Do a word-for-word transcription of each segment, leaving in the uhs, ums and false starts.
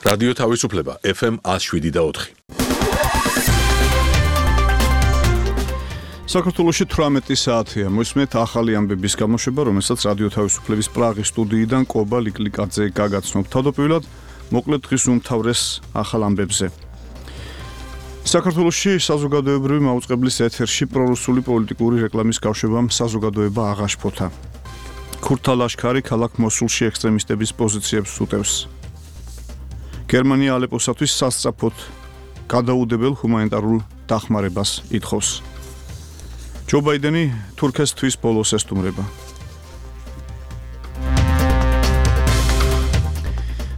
რადიო თავისუფლება ეფ ემ one oh seven და four. საქართველოში თვრამეტი საათია. მოსმენთ ახალი ამბების გამოშვება, რომელსაც რადიო თავისუფლების პრაღის სტუდიიდან კობა ლიკლიკაძე გაგაცნობ. თავდაპირველად მოკლედ დღის უმთავრეს ახალ ამბებზე. საქართველოში საზოგადოებრივი მაუწყებლის ეთერში პრორუსული პოლიტიკური რეკლამის კავშირამ საზოგადოება აღაშფოთა. ქურთა ლაშქარი ქალაქ მოსულში ექსტრემისტების პოზიციებს უტევს. გერმანია ალეპოსათვის სასწრაფოდ გადაუდებელ ჰუმანიტარულ დახმარებას ითხოვს. ჯო ბაიდენი თურქეთს თვის ბოლოს ესტუმრება.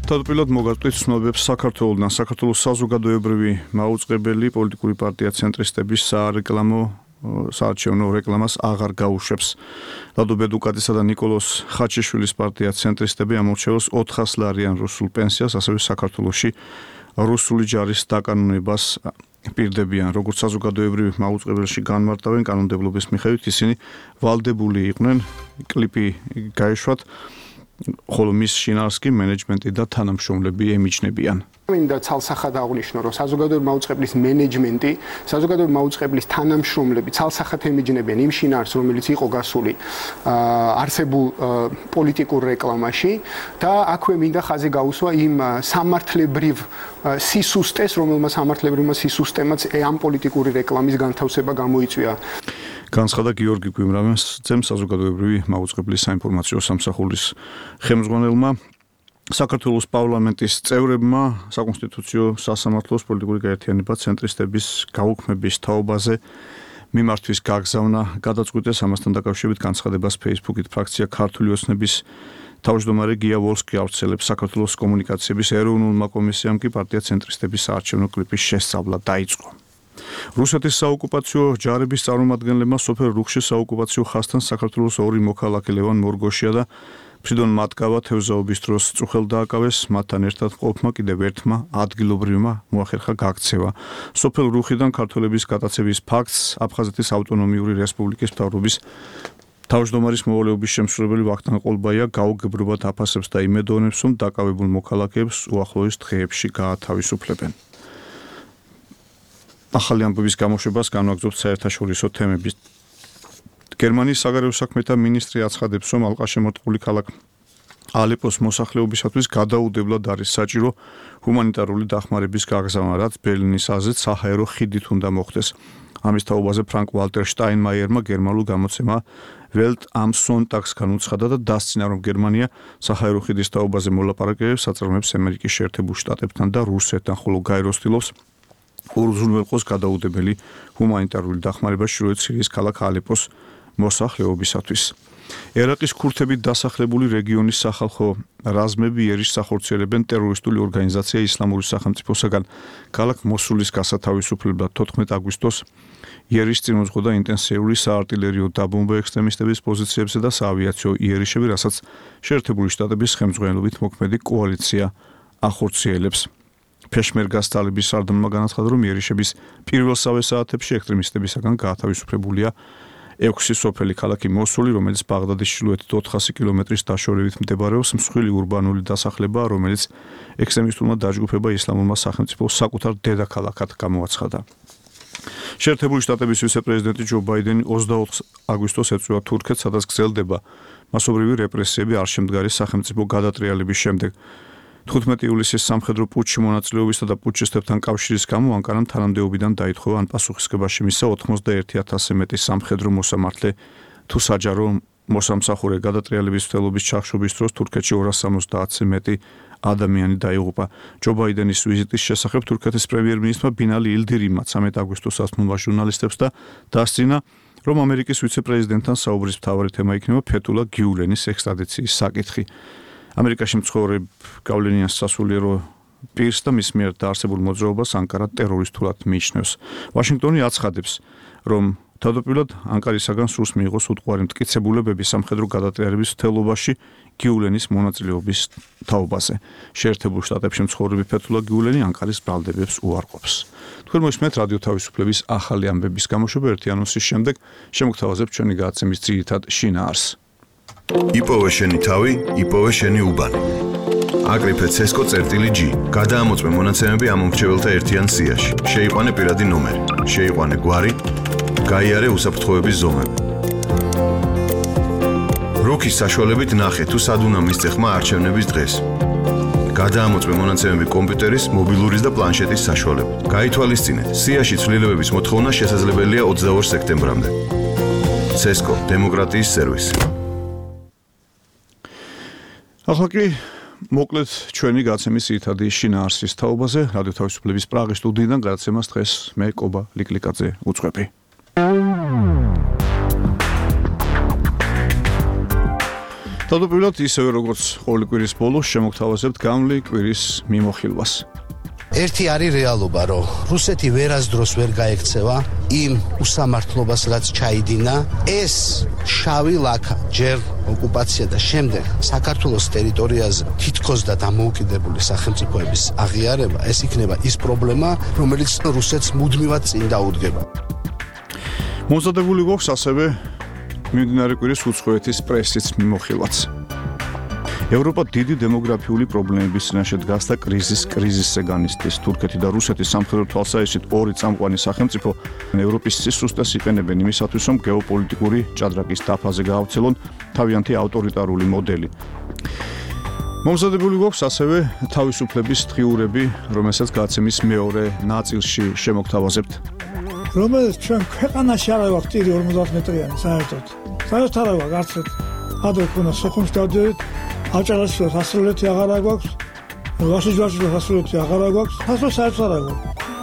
თავდაპირველად მოგაწვით ცნობებს საქართველოსთან. საქართველოს საზოგადოებრივი მაუწყებელი პოლიტიკური პარტია ცენტრისტების სარეკლამო საარჩევნო რეკლამას აღარ გაუშვებს. ლადო ბედუკატისა და ნიკოლოზ ხაჩიშვილის პარტია ცენტრისტები ამორჩევს ოთხას ლარიან რუსულ პენსიას, ასევე საქართველოში რუსული ჯარის დაკანონებას პირდებიან. როგორც საზოგადოებრივი მაუწყებელში განმარტავენ კანონმდებლობის მიხედვით, ისინი ვალდებული იყვნენ კლიპი გაეშვათ, ხოლო მის შინაარს კი მენეჯმენტი და თანამშრომლები ემიჯნებიან. მინდა ცალსახად აღვნიშნო, რომ საზოგადოებრივი მაუწყებლის მენეჯმენტი, საზოგადოებრივი მაუწყებლის თანამშრომლები ცალსახად ემიჯნებიან იმ შინაარს, რომელიც იყო გასული არსებულ პოლიტიკურ რეკლამაში და აქვე მინდა ხაზი გაუსვა იმ სამართლებრივ სისუსტეს, რომელმაც სამართლებრივმა სისუსტემაც ამ პოლიტიკური რეკლამის განთავსება გამოიწვია. განცხადა გიორგი გვიმრაძემ, საზოგადოებრივი მაუწყებლის საინფორმაციო სამსახურის ხელმძღვანელმა. საქართველოს პარლამენტის წევრებმა საკონსტიტუციო სასამართლოს პოლიტიკური გაერთიანება ცენტრისტების გაუქმების თაობაზე მიმართვის გაგზავნა გადაწყვიტეს. ამასთან დაკავშირებით განცხადებას Facebook-ით ფრაქცია ქართული ოცნების თავმჯდომარე გია ვოლსკი ავრცელებს. საქართველოს კომუნიკაციების ეროვნულმა კომისიამ კი პარტია ცენტრისტების საარჩევნო კლიპის შესწავლა დაიწყო. რუსეთის საოკუპაციო ჯარების წარმომადგენლებმა სოფელ რუხში საოკუპაციო ხაზთან საქართველოს ორი მოქალაქე ლევან მორგოშია და ფრიდონ მატკავა თევზაობის დროს წუხელ დააკავეს. მათთან ერთად ყოფმა კიდევ ერთმა ადგილობრივმა მოახერხა გაქცევა. სოფელ რუხიდან ქართველების გატაცების ფაქტს აფხაზეთის ავტონომიური რესპუბლიკის მთავრობის თავმჯდომარის მოვალეობის შემსრულებელი ვახტანგ ყოლბაია გაუგებრობად აფასებს და იმედოვნებს, რომ დაკავებულ მოქალაქეებს უახლოეს დღეებში გაათავისუფლებენ. ახალი ამბების გამოშვებას განვაგრძობთ საერთაშორისო თემების. გერმანიის საგარეო საქმეთა მინისტრი აცხადებს, რომ ალყაშემორტყმული ქალაქ ალეპოს მოსახლეობისათვის გადაუდებლად არის საჭირო ჰუმანიტარული დახმარების გაგზავნა, რაც ბერლინის აზრით საჰაერო ხიდით უნდა მოხდეს. ამის თაობაზე ფრანკ ვალტერ შტაინმაიერმა გერმანულ გამოცემა ველტ ამ სონტაგს განუცხადა და დასცინა, რომ გერმანია საჰაერო ხიდის თაობაზე მოლაპარაკებებს აწარმოებს ამერიკის შეერთებულ შტატებთან და რუსეთთან, ხოლო გაეროსtildeობს უზრუნველყოს გადაუდებელი ჰუმანიტარული დახმარება ჩრდილოეთ სირიის ქალაქ ალეპოს მოსახლეობისათვის. ერაყის ქურთებით დასახლებული რეგიონის სახალხო რაზმები იერიშს ახორციელებენ ტერორისტული ორგანიზაცია ისლამური სახელმწიფოსაგან ქალაქ მოსულის გასათავისუფლებლად. თოთხმეტ აგვისტოს იერიშს წინუძღოდა ინტენსიური საარტილერიო დაბომბვა ექსტრემისტების პოზიციებზე და საავიაციო იერიშები, რასაც შეერთებული შტატების ხელმძღვანელობით მოქმედი კოალიცია ახორციელებს. ფეშმერგას ტალიბის სარდალმა განაცხადა, რომ იერიშების პირველსავე საათებში ექსტრემისტებისაგან გაათავისუფლებულია ექვსი სოფელი ქალაქი მოსული, რომელიც ბაღდადის ჩრდილოეთით ოთხასი კილომეტრის დაშორებით მდებარეობს. მსხვილი ურბანული დასახლება, რომელიც ექსტრემისტულმა დაჯგუფება ისლამურმა სახელმწიფოს საკუთარ დედაქალაქად გამოაცხადა. შეერთებული შტატების ვიცე-პრეზიდენტი ჯო ბაიდენი ოცდაოთხ აგვისტოს ეწვევა თურქეთს, სადაც გრძელდება მასობრივი რეპრესიები არშემდგარი სახელმწიფო გადატრიალების შემდეგ. თხუთმეტი ივლისის სამხედრო პუტჩში მონაწილეობისა და პუტჩისტებთან კავშირის გამო ანკარამ თანამდებობიდან დაითხოვა ან პასუხისმგებაში მისცა ოცდაოთხ ათასზე მეტი სამხედრო მოსამართლე თუ საჯარო მოსამსახურე. გადატრიალების მცდელობის ჩახშობის დროს თურქეთში ორას სამოცდაათზე მეტი ადამიანი დაიღუპა. ჯო ბაიდენის ვიზიტის შესახებ თურქეთის პრემიერ-მინისტრმა ბინალი ილდირიმმა ცამეტ აგვისტოს ასწმულმა ჟურნალისტებს და დასძინა, რომ ამერიკის ვიცე-პრეზიდენტთან საუბრის მთავარი თემა იქნება ფეთულა გიულენის ექსტრადიციის საკითხი. ამერიკაში მცხოვრებ გავლენიან სასულიერო პირს და მის მიერ დაარსებულ მოძრაობას ანკარა ტერორისტულად მიიჩნევს. ვაშინგტონი აცხადებს, რომ თავდაპირველად ანკარისაგან სურს მიიღოს უტყუარი მტკიცებულებები სამხედრო გადატრიალების მცდელობაში გიულენის მონაწილეობის თაობაზე. შეერთებულ შტატებში მცხოვრები ფეთულა გიულენი ანკარის ბრალდებებს უარყოფს. თქვენ მოისმენთ რადიო თავისუფლების ახალი ამბების გამოშვება. ერთი ანონსის შემდეგ შემოგთავაზებთ ჩვენი გადაცემის ძირითად შინაარსს. იპოვე შენი თავი, იპოვე შენი უბანი. აკრიფე ცესკო წერტილი G. გადაამოწმე მონაცემები ამ მომრჩეველთა ერთიან სიაში. შეიყვანე პირადი ნომერი. შეიყვანე გვარი. გაიარე უსაფრთხოების ზომები. რუქის საშუალებით ნახე თუ სად უნდა მისცე ხმა არჩევნების დღეს. გადაამოწმე მონაცემები კომპიუტერის, მობილურის და პლანშეტის საშუალებით. გაითვალისწინე, სიაში ცვლილებების მოთხოვნა შესაძლებელია ოცდაორ სექტემბრამდე. ცესკო დემოკრატიის სერვისი. ახლა კი მოკლედ ჩვენი გაცემის ძირითადი შინაარსის თაობაზე რადიო თავისუფლების პრაღის სტუდიიდან გადაცემას დღეს მე კობა ლიკლიკაძე უძღვები. თავდაპირველად ისევე როგორც ყოველი კვირის ბოლოს შემოგთავაზებთ გამლი კვირის მიმოხილვას. ერთი არის რეალობა, რომ რუსეთი ვერასდროს ვერ გაექცევა იმ უსამართლობას, რაც ჩაიდინა. ეს შავი ლაქა ჯერ ოკუპაცია და შემდეგ საქართველოს ტერიტორიაზე თითქოს და დამოუკიდებელი სახელმწიფოების აღიარება, ეს იქნება ის პრობლემა, რომელიც რუსეთს მუდმივად წინ დაუდგება. მომზადებული გვაქვს ასევე მიმდინარე კვირის უცხოეთის პრესის მიმოხილვაც. ევროპა დიდი დემოგრაფიული პრობლემების წინაშე დგას და კრიზის კრიზისზე განიცდის. თურქეთი და რუსეთი სამხედრო თვალსაჩინო ორი წამყვანი სახელმწიფო ევროპის სისუსტეს იყენებენ იმისათვის, რომ გეოპოლიტიკური ჭადრაკის დაფაზე გაავრცელონ თავიანთი ავტორიტარული მოდელი. მომზადებული გვაქვს ასევე თავისუფლების დღიურები, რომელსაც გაცემის მეორე ნაწილში შემოგთავაზებთ. რომელიც ჩვენ ქვეყანაში არ აქვს ტირი ორმოცდაათ მეტრიანი საერთოდ. საერთოდ არ აქვს არც ერთ. ადრე ქონა სოხუმს დავდივართ, აჭარაში სასრულეთი აღარ აქვს, ვაშიჯვარში სასრულეთი აღარ აქვს, ასე საერთოდ არ აქვს.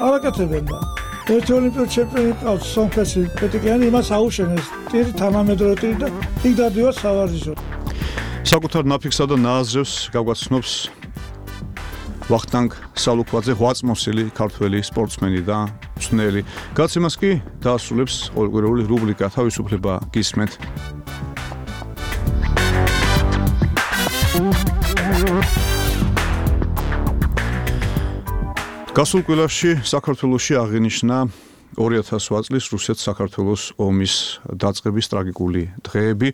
არაკეთებენ და ერთი ოლიმპიური ჩემპიონი ყავს სომხეთში პეტიკიანი, იმას აუშენეს ტირი თანამედროვე ტირი და იქ დავდივართ სავარჯიშოდ. საკუთარ ნაფიქსა და ნააზრევს გაგვაცნობს ვახტანგ სალუქვაძე, ღვაწმოსილი ქართველი სპორტსმენი და მწვრთნელი. გაცემას კი დაასრულებს ყოველკვირეული რუბრიკა თავისუფლება გისმენთ. გასულ კვირაში საქართველოში აღინიშნა ორი ათას ოთხ წლის რუსეთ-საქართველოს ომის დაწყების ტრაგიკული დღეები.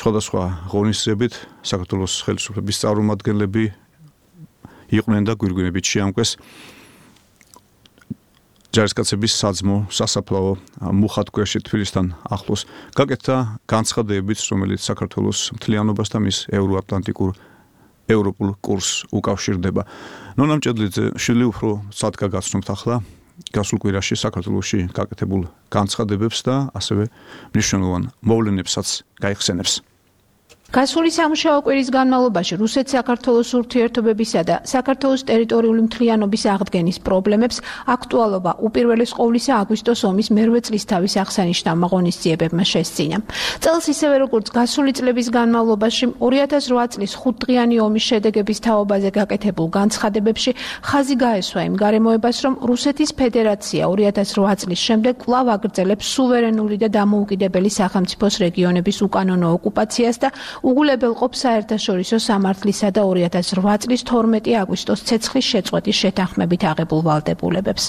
სხვადასხვა ღონისძიებით საქართველოს ხელისუფლების წარმომადგენლები იყვნენ და გვირგვინებით შეამკვეს ჯარისკაცების საძმო სასაფლაო მუხათგვერში თბილისთან ახლოს. გაკეთდა განცხადებებიც, რომელიც საქართველოს მთლიანობას და მის ევროატლანტიკურ ევროპულ კურსს უკავშირდება. ნონა მჭედლიძე შვილი უფრო სადგა გაცნობთ ახლა გასულ კვირაში საქართველოში გაკეთებულ განცხადებებს და ასევე მნიშვნელოვან მოვლენებსაც გაიხსენებს. გასული სამუშაო კვირის განმავლობაში რუსეთ-საქართველოს ურთიერთობებისა და საქართველოს ტერიტორიული მთლიანობის აღდგენის პრობლემებს აქტუალობა უპირველეს ყოვლისა აგვისტოს ომის მერვე წლისთავის აღსანიშნავმა ღონისძიებებმა შესძინა. წელს ისევე როგორც გასული წლების განმავლობაში ორი ათას რვა წლის ხუთდღიანი ომის შედეგების თაობაზე გაკეთებულ განცხადებებში ხაზი გაესვა იმ გარემოებას, რომ რუსეთის ფედერაცია ორი ათას რვა წლის შემდეგ კვლავ აგრძელებს სუვერენული და დამოუკიდებელი სახელმწიფოს რეგიონების უკანონო ოკუპაციას და უგულებელყოფს საერთაშორისო სამართლისა და ორი ათას რვა წლის თორმეტი აგვისტოს ცეცხლის შეწყვეტის შეთანხმებით აღებულ ვალდებულებებს.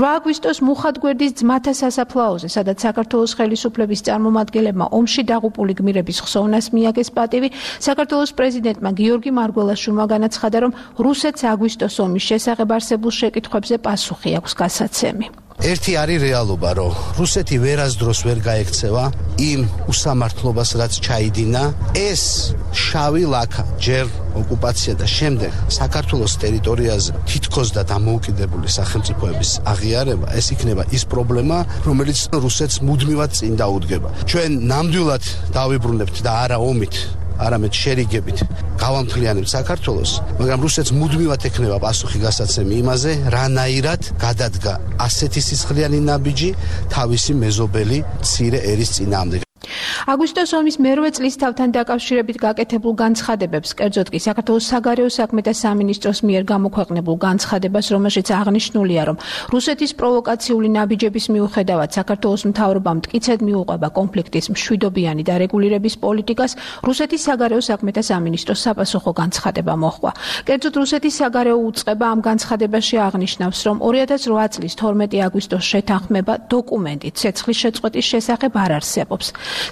რვა აგვისტოს მუხათგვერდის ძმათა სასაფლაოზე, სადაც საქართველოს ხელისუფლების წარმომადგენლებმა ომში დაღუპული გმირების ხსოვნას მიაგეს პატივი, საქართველოს პრეზიდენტმა გიორგი მარგველაშვილმა განაცხადა, რომ რუსეთს აგვისტოს ომის შესახებ არსებულ შეკითხვებზე პასუხი აქვს გასაცემი. ერთი არის რეალობა, რომ რუსეთი ვერასდროს ვერ გაექცევა იმ უსამართლობას, რაც ჩაიდინა. ეს შავი ლაქა ჯერ ოკუპაცია და შემდეგ საქართველოს ტერიტორიაზე თითქოს და დამოუკიდებელი სახელმწიფოების აღიარება, ეს იქნება ის პრობლემა, რომელიც რუსეთს მუდმივად წინ დაუდგება. ჩვენ ნამდვილად დავიბრუნებთ და არა ომით, არამედ შერიგებით გავამთლიანებთ საქართველოს, მაგრამ რუსეთს მუდმივად ექნება პასუხი გასაცემი იმაზე, რანაირად გადადგა ასეთი სისხლიანი ნაბიჯი თავისი მეზობელი მცირე ერის წინააღმდეგ. აგვისტოს ომის მერვე წლისთავთან დაკავშირებით გაკეთებულ განცხადებებს, კერძოდ კი საქართველოს საგარეო საქმეთა სამინისტროს მიერ გამოქვეყნებულ განცხადებას, რომელშიც აღნიშნულია, რომ რუსეთის პროვოკაციული ნაბიჯების მიუხედავად საქართველოს მთავრობამ მტკიცედ მიუყვება კონფლიქტის მშვიდობიანი დარეგულირების პოლიტიკას, რუსეთის საგარეო საქმეთა სამინისტროს საპასუხო განცხადება მოჰყვა. კერძოდ რუსეთის საგარეო უწყება ამ განცხადებაში აღნიშნავს, რომ ორი ათას რვა წლის თორმეტი აგვისტოს შეთანხმება დოკუმენტი ცეცხლის შეწყვეტის შესახებ არ არსებობს.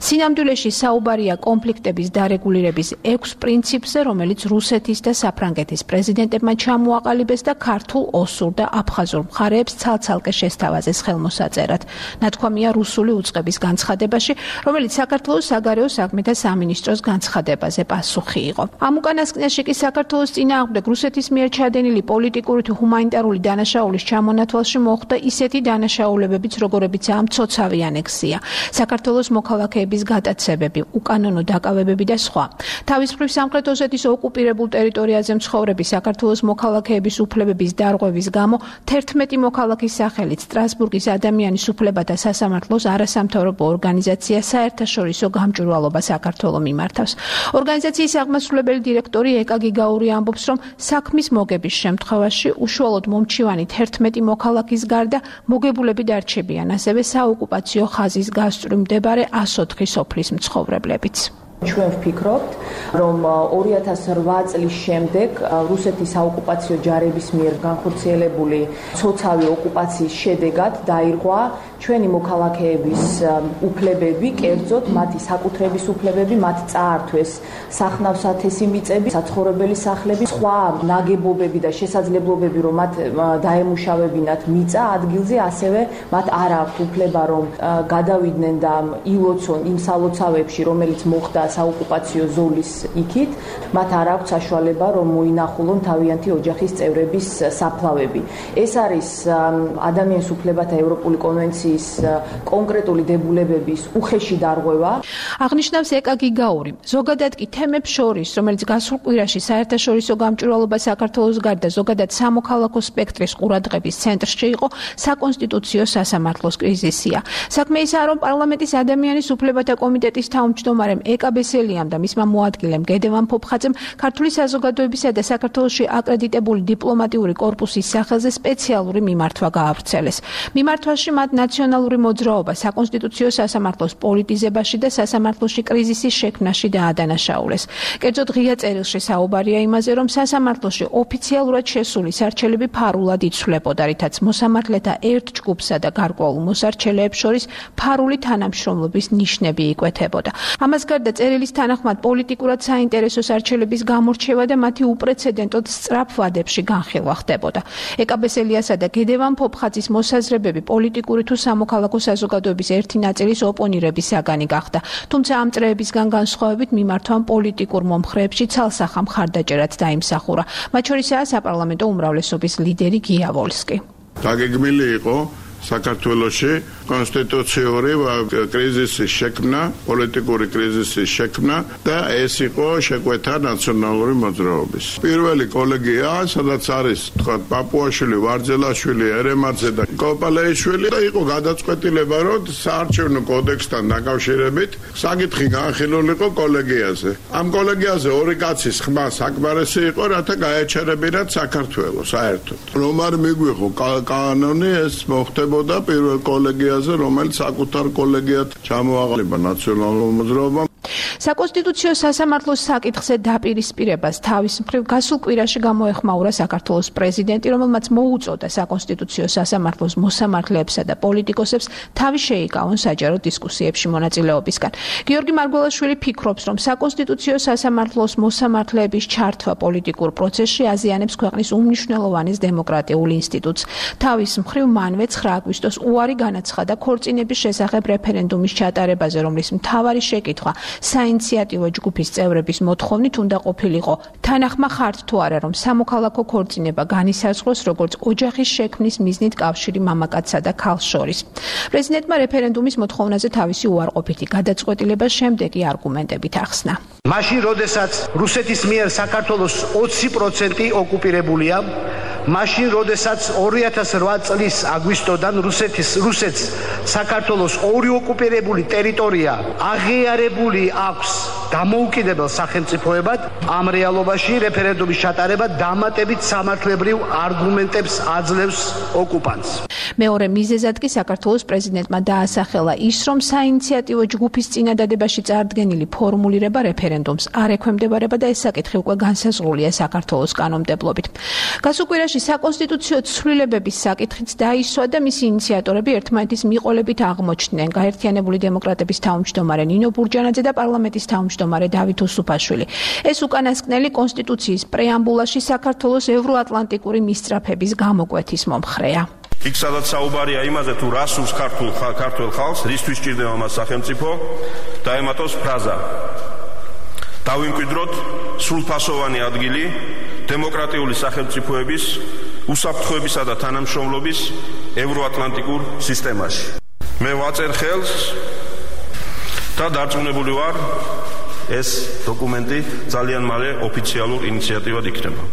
სინამდვილეში საუბარია კონფლიქტების დარეგულირების ექვს პრინციპზე, რომელიც რუსეთის და საფრანგეთის პრეზიდენტებმა ჩამოაყალიბეს და ქართულ, ოსურ და აფხაზურ მხარეებს ცალ-ცალკე შესთავაზეს ხელმოსაწერად. ნათქვამია რუსული უწყების განცხადებაში, რომელიც საქართველოს საგარეო საქმეთა სამინისტროს განცხადებაზე პასუხი იყო. ამ უკანასკნელში კი საქართველოს წინააღმდეგ რუსეთის მიერ ჩადენილი პოლიტიკური თუ ჰუმანიტარული დანაშაულის ჩამონათვალში მოხდა ისეთი დანაშაულებებიც, როგორებიცაა მცოცავი ანექსია, საქართველოს მოქალაქეების გატაცებები, უკანონო დაკავებები და სხვა. თავის მხრივ სამხრეთ ოსეთის ოკუპირებულ ტერიტორიაზე მცხოვრები საქართველოს მოქალაქეების უფლებების დარღვევის გამო თერთმეტი მოქალაქის სახელით სტრასბურგის ადამიანის უფლებათა სასამართლოს არასამთავრობო ორგანიზაცია საერთაშორისო გამჭვირვალობა საქართველოს მიმართავს. ორგანიზაციის აღმასრულებელი დირექტორი ეკა გიგაური ამბობს, რომ საქმის მოგების შემთხვევაში უშუალოდ მომჩივანი თერთმეტი მოქალაქის გარდა მოგებულები დარჩებიან, ასევე საოკუპაციო ხაზის გასწვრივ მდებარე ას ოთხი სოფლის მცხოვრებლებიც. ჩვენ ვფიქრობთ, რომ ორი ათას რვა წლის შემდეგ რუსეთის საოკუპაციო ჯარების მიერ განხორციელებული ცოცავი ოკუპაციის შედეგად დაირღვა ჩვენი მოქალაქეების უფლებები, კერძოდ მათი საკუთრების უფლებები, მათ წაართვეს სახნავ-სათესი მიწები, საცხოვრებელი სახლები, სხვა ნაგებობები და შესაძლებლობები, რომ მათ დაემუშავებინათ მიწა ადგილზე, ასევე მათ არ აქვთ უფლება, რომ გადავიდნენ და ილოცონ იმ სალოცავებში, რომელიც მოხდა საოკუპაციო ზოლის იქით, მათ არ აქვთ საშუალება, რომ მოინახულონ თავიანთი ოჯახის წევრების საფლავები. ეს არის ადამიანის უფლებათა ევროპული კონვენციის კონკრეტული დებულებების უხეში დარღვევა. აღნიშნავს ეკა გიგაური. ზოგადად კი თემებს შორის, რომელიც გასულ კვირაში საერთაშორისო გამჭვირვალობა საქართველოს გარდა ზოგადად სამოქალაქო სპექტრის ყურადღების ცენტრში იყო საკონსტიტუციო სასამართლოს კრიზისია. საქმე ისაა, რომ პარლამენტის ადამიანის უფლებათა კომიტეტის თავმჯდომარემ ეკა ბესელიამ და მისმა მოადგილემ გედევან ფოფხაძემ ქართული საზოგადოებისა და საქართველოში აკრედიტებული დიპლომატიური კორპუსის სახელზე სპეციალური მიმართვა გაავრცელეს. მიმართვაში მათ ნაციონალური მოძრაობა საკონსტიტუციო სასამართლოს პოლიტიზებაში და სასამართლოში კრიზისის შექმნაში დაადანაშაულეს. კერძოდ ღია წერილში საუბარია იმაზე, რომ სასამართლოში ოფიციალურად შესული სარჩელები ფარულად იცვლებოდა, რითაც მოსამართლეთა ერთ ჯგუფსა და გარკვეულ მოსარჩელეებს შორის ფარული თანამშრომლობის ნიშნები იკვეთებოდა. ამას გარდა წერილის თანახმად პოლიტიკურად საინტერესო სარჩელების გამორჩევა და მათი უპრეცედენტოდ სწრაფ ვადებში განხილვა ხდებოდა. ეკა ბესელიასა და გედევან ფოფხაძის მოსაზრებები პოლიტიკური თუ სამოქალაქო საზოგადოების ერთი ნაწილის ოპონირების საგანი გახდა. თუმცა ამ წრეებისგან განსხვავებით მიმართვამ პოლიტიკურ მომხრეებში ცალსახა მხარდაჭერაც დაიმსახურა. მათ შორისაა საპარლამენტო უმრავლესობის ლიდერი გია ვოლსკი. დაგეგმილი იყო საქართველოში კონსტიტუციური კრიზისის შექმნა, პოლიტიკური კრიზისის შექმნა და ეს იყო შეკვეთა ნაციონალური მოძრაობის. პირველი კოლეგია, სადაც არის თქვა პაპუაშვილი, ვარძელაშვილი, ერემაძე და კოპალეიშვილი და იყო გადაწყვეტილება, რომ საარჩევნო კოდექსთან დაკავშირებით საკითხი განხილულიყო კოლეგიაზე. ამ კოლეგიაზე ორი კაცის ხმა საკმარისი იყო, რათა გაეჩერებინათ საქართველოს საერთოდ. რომ არ მიგვიღო კანონი, ეს მოხდებოდა პირველ კოლეგიაზე, რომელიც საკუთარ კოლეგიად ჩამოაყალიბა ნაციონალურ მოძრაობამ. საკონსტიტუციო სასამართლოს საკითხზე დაპირისპირებას თავის მხრივ გასულ კვირაში გამოეხმაურა საქართველოს პრეზიდენტი, რომელმაც მოუწოდა საკონსტიტუციო სასამართლოს მოსამართლეებსა და პოლიტიკოსებს თავი შეიკავონ საჯარო დისკუსიებში მონაწილეობისგან. გიორგი მარგველაშვილი ფიქრობს, რომ საკონსტიტუციო სასამართლოს მოსამართლეების ჩართვა პოლიტიკურ პროცესში აზიანებს ქვეყნის უმნიშვნელოვანეს დემოკრატიულ ინსტიტუტს. თავის მხრივ მანვე ცხრა აგვისტოს უარი განაცხადა ქორწინების შესახებ რეფერენდუმის ჩატარებაზე, რომლის მთავარი შეკითხვა საინიციატივო ჯგუფის წევრების მოთხოვნით უნდა ყოფილიყო. თანახმა ხართ თუ არა, რომ სამოქალაქო ქორწინება განისაზღვროს როგორც ოჯახის შექმნის მიზნით კავშირი მამაკაცსა და ქალს შორის. პრეზიდენტმა რეფერენდუმის მოთხოვნაზე თავისი უარყოფითი გადაწყვეტილება შემდეგი არგუმენტებით ახსნა. მაშინ, როდესაც რუსეთის მიერ საქართველოს ოცი პროცენტი ოკუპირებულია, მაშინ, როდესაც ორი ათას რვა წლის აგვისტოდან რუსეთის რუსეთს საქართველოს ორი ოკუპირებული ტერიტორია აღიარებული აქვს დამოუკიდებელ სახელმწიფოებად ამ რეალობაში რეფერენდუმის ჩატარება დამატებით სამართლებრივ არგუმენტებს აძლევს ოკუპანტს. მეორე მიზეზად კი საქართველოს პრეზიდენტმა დაასახელა ის, რომ საინიციატივო ჯგუფის წინადადებაში წარდგენილი ფორმულირება რეფერენდუმს არ ექვემდებარება და ეს საკითხი უკვე განსაზღვრულია საქართველოს კანონმდებლობით. გასულ კვირაში საკონსტიტუციო ცვლილებების საკითხიც დაისვა და მისი ინიციატორები ერთმანეთის მიყოლებით აღმოჩნდნენ. გაერთიანებული დემოკრატების თავმჯდომარე ნინო ბურჯანაძე და პარლამენტის თავმჯდომარე დავით უსუფაშვილი. ეს უკანასკნელი კონსტიტუციის პრეამბულაში საქართველოს ევროატლანტიკური მისწრაფების გამოკვეთის მომხრეა. იქ სადაც საუბარია იმაზე თუ რა სურს ქართულ ქართულ ხალხს, რისთვის ჭირდება მას სახელმწიფო, დაემატოს ფრაზა. დავიმკვიდროთ სრულფასოვანი ადგილი დემოკრატიული სახელმწიფოების უსაფრთხოებისა და თანამშრომლობის ევროატლანტიკურ სისტემაში. მე ვაწერ ხელს და დარწმუნებული ვარ, ეს დოკუმენტი ძალიან მალე ოფიციალურ ინიციატივად იქნება.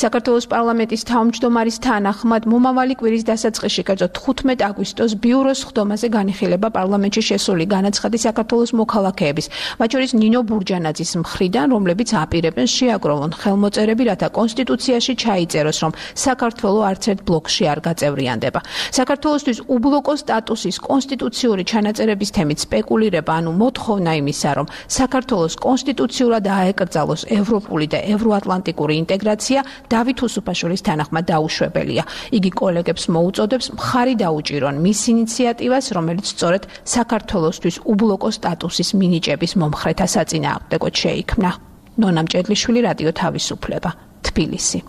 საქართველოს პარლამენტის თავმჯდომარის თანახმად მომავალი კვირის დასაწყისში, კერძოდ თხუთმეტ აგვისტოს ბიუროს ხდომაზე განიხილება პარლამენტში შესული განაცხადი საქართველოს მოქალაქეების, მათ შორის ნინო ბურჯანაძის მხრიდან, რომლებიც აპირებენ შეაგროვონ ხელმოწერები, რათა კონსტიტუციაში ჩაიწეროს, რომ საქართველო არც ერთ ბლოკში არ გაწევრიანდება. საქართველოსთვის უბლოკო სტატუსის კონსტიტუციური ჩანაწერების თემით სპეკულირება, ანუ მოთხოვნა იმისა, რომ საქართველოს კონსტიტუციურად აეკრძალოს ევროპული და ევროატლანტიკური ინტეგრაცია დავით უსუფაშვილის თანახმად დაუშვებელია. იგი კოლეგებს მოუწოდებს მხარი დაუჭირონ მის ინიციატივას, რომელიც სწორედ საქართველოსთვის უბლოკო სტატუსის მინიჭების მომხრეთა საწინააღმდეგოდ შეიქმნა. ნონა მჭედლიშვილი, რადიო თავისუფლება, თბილისი.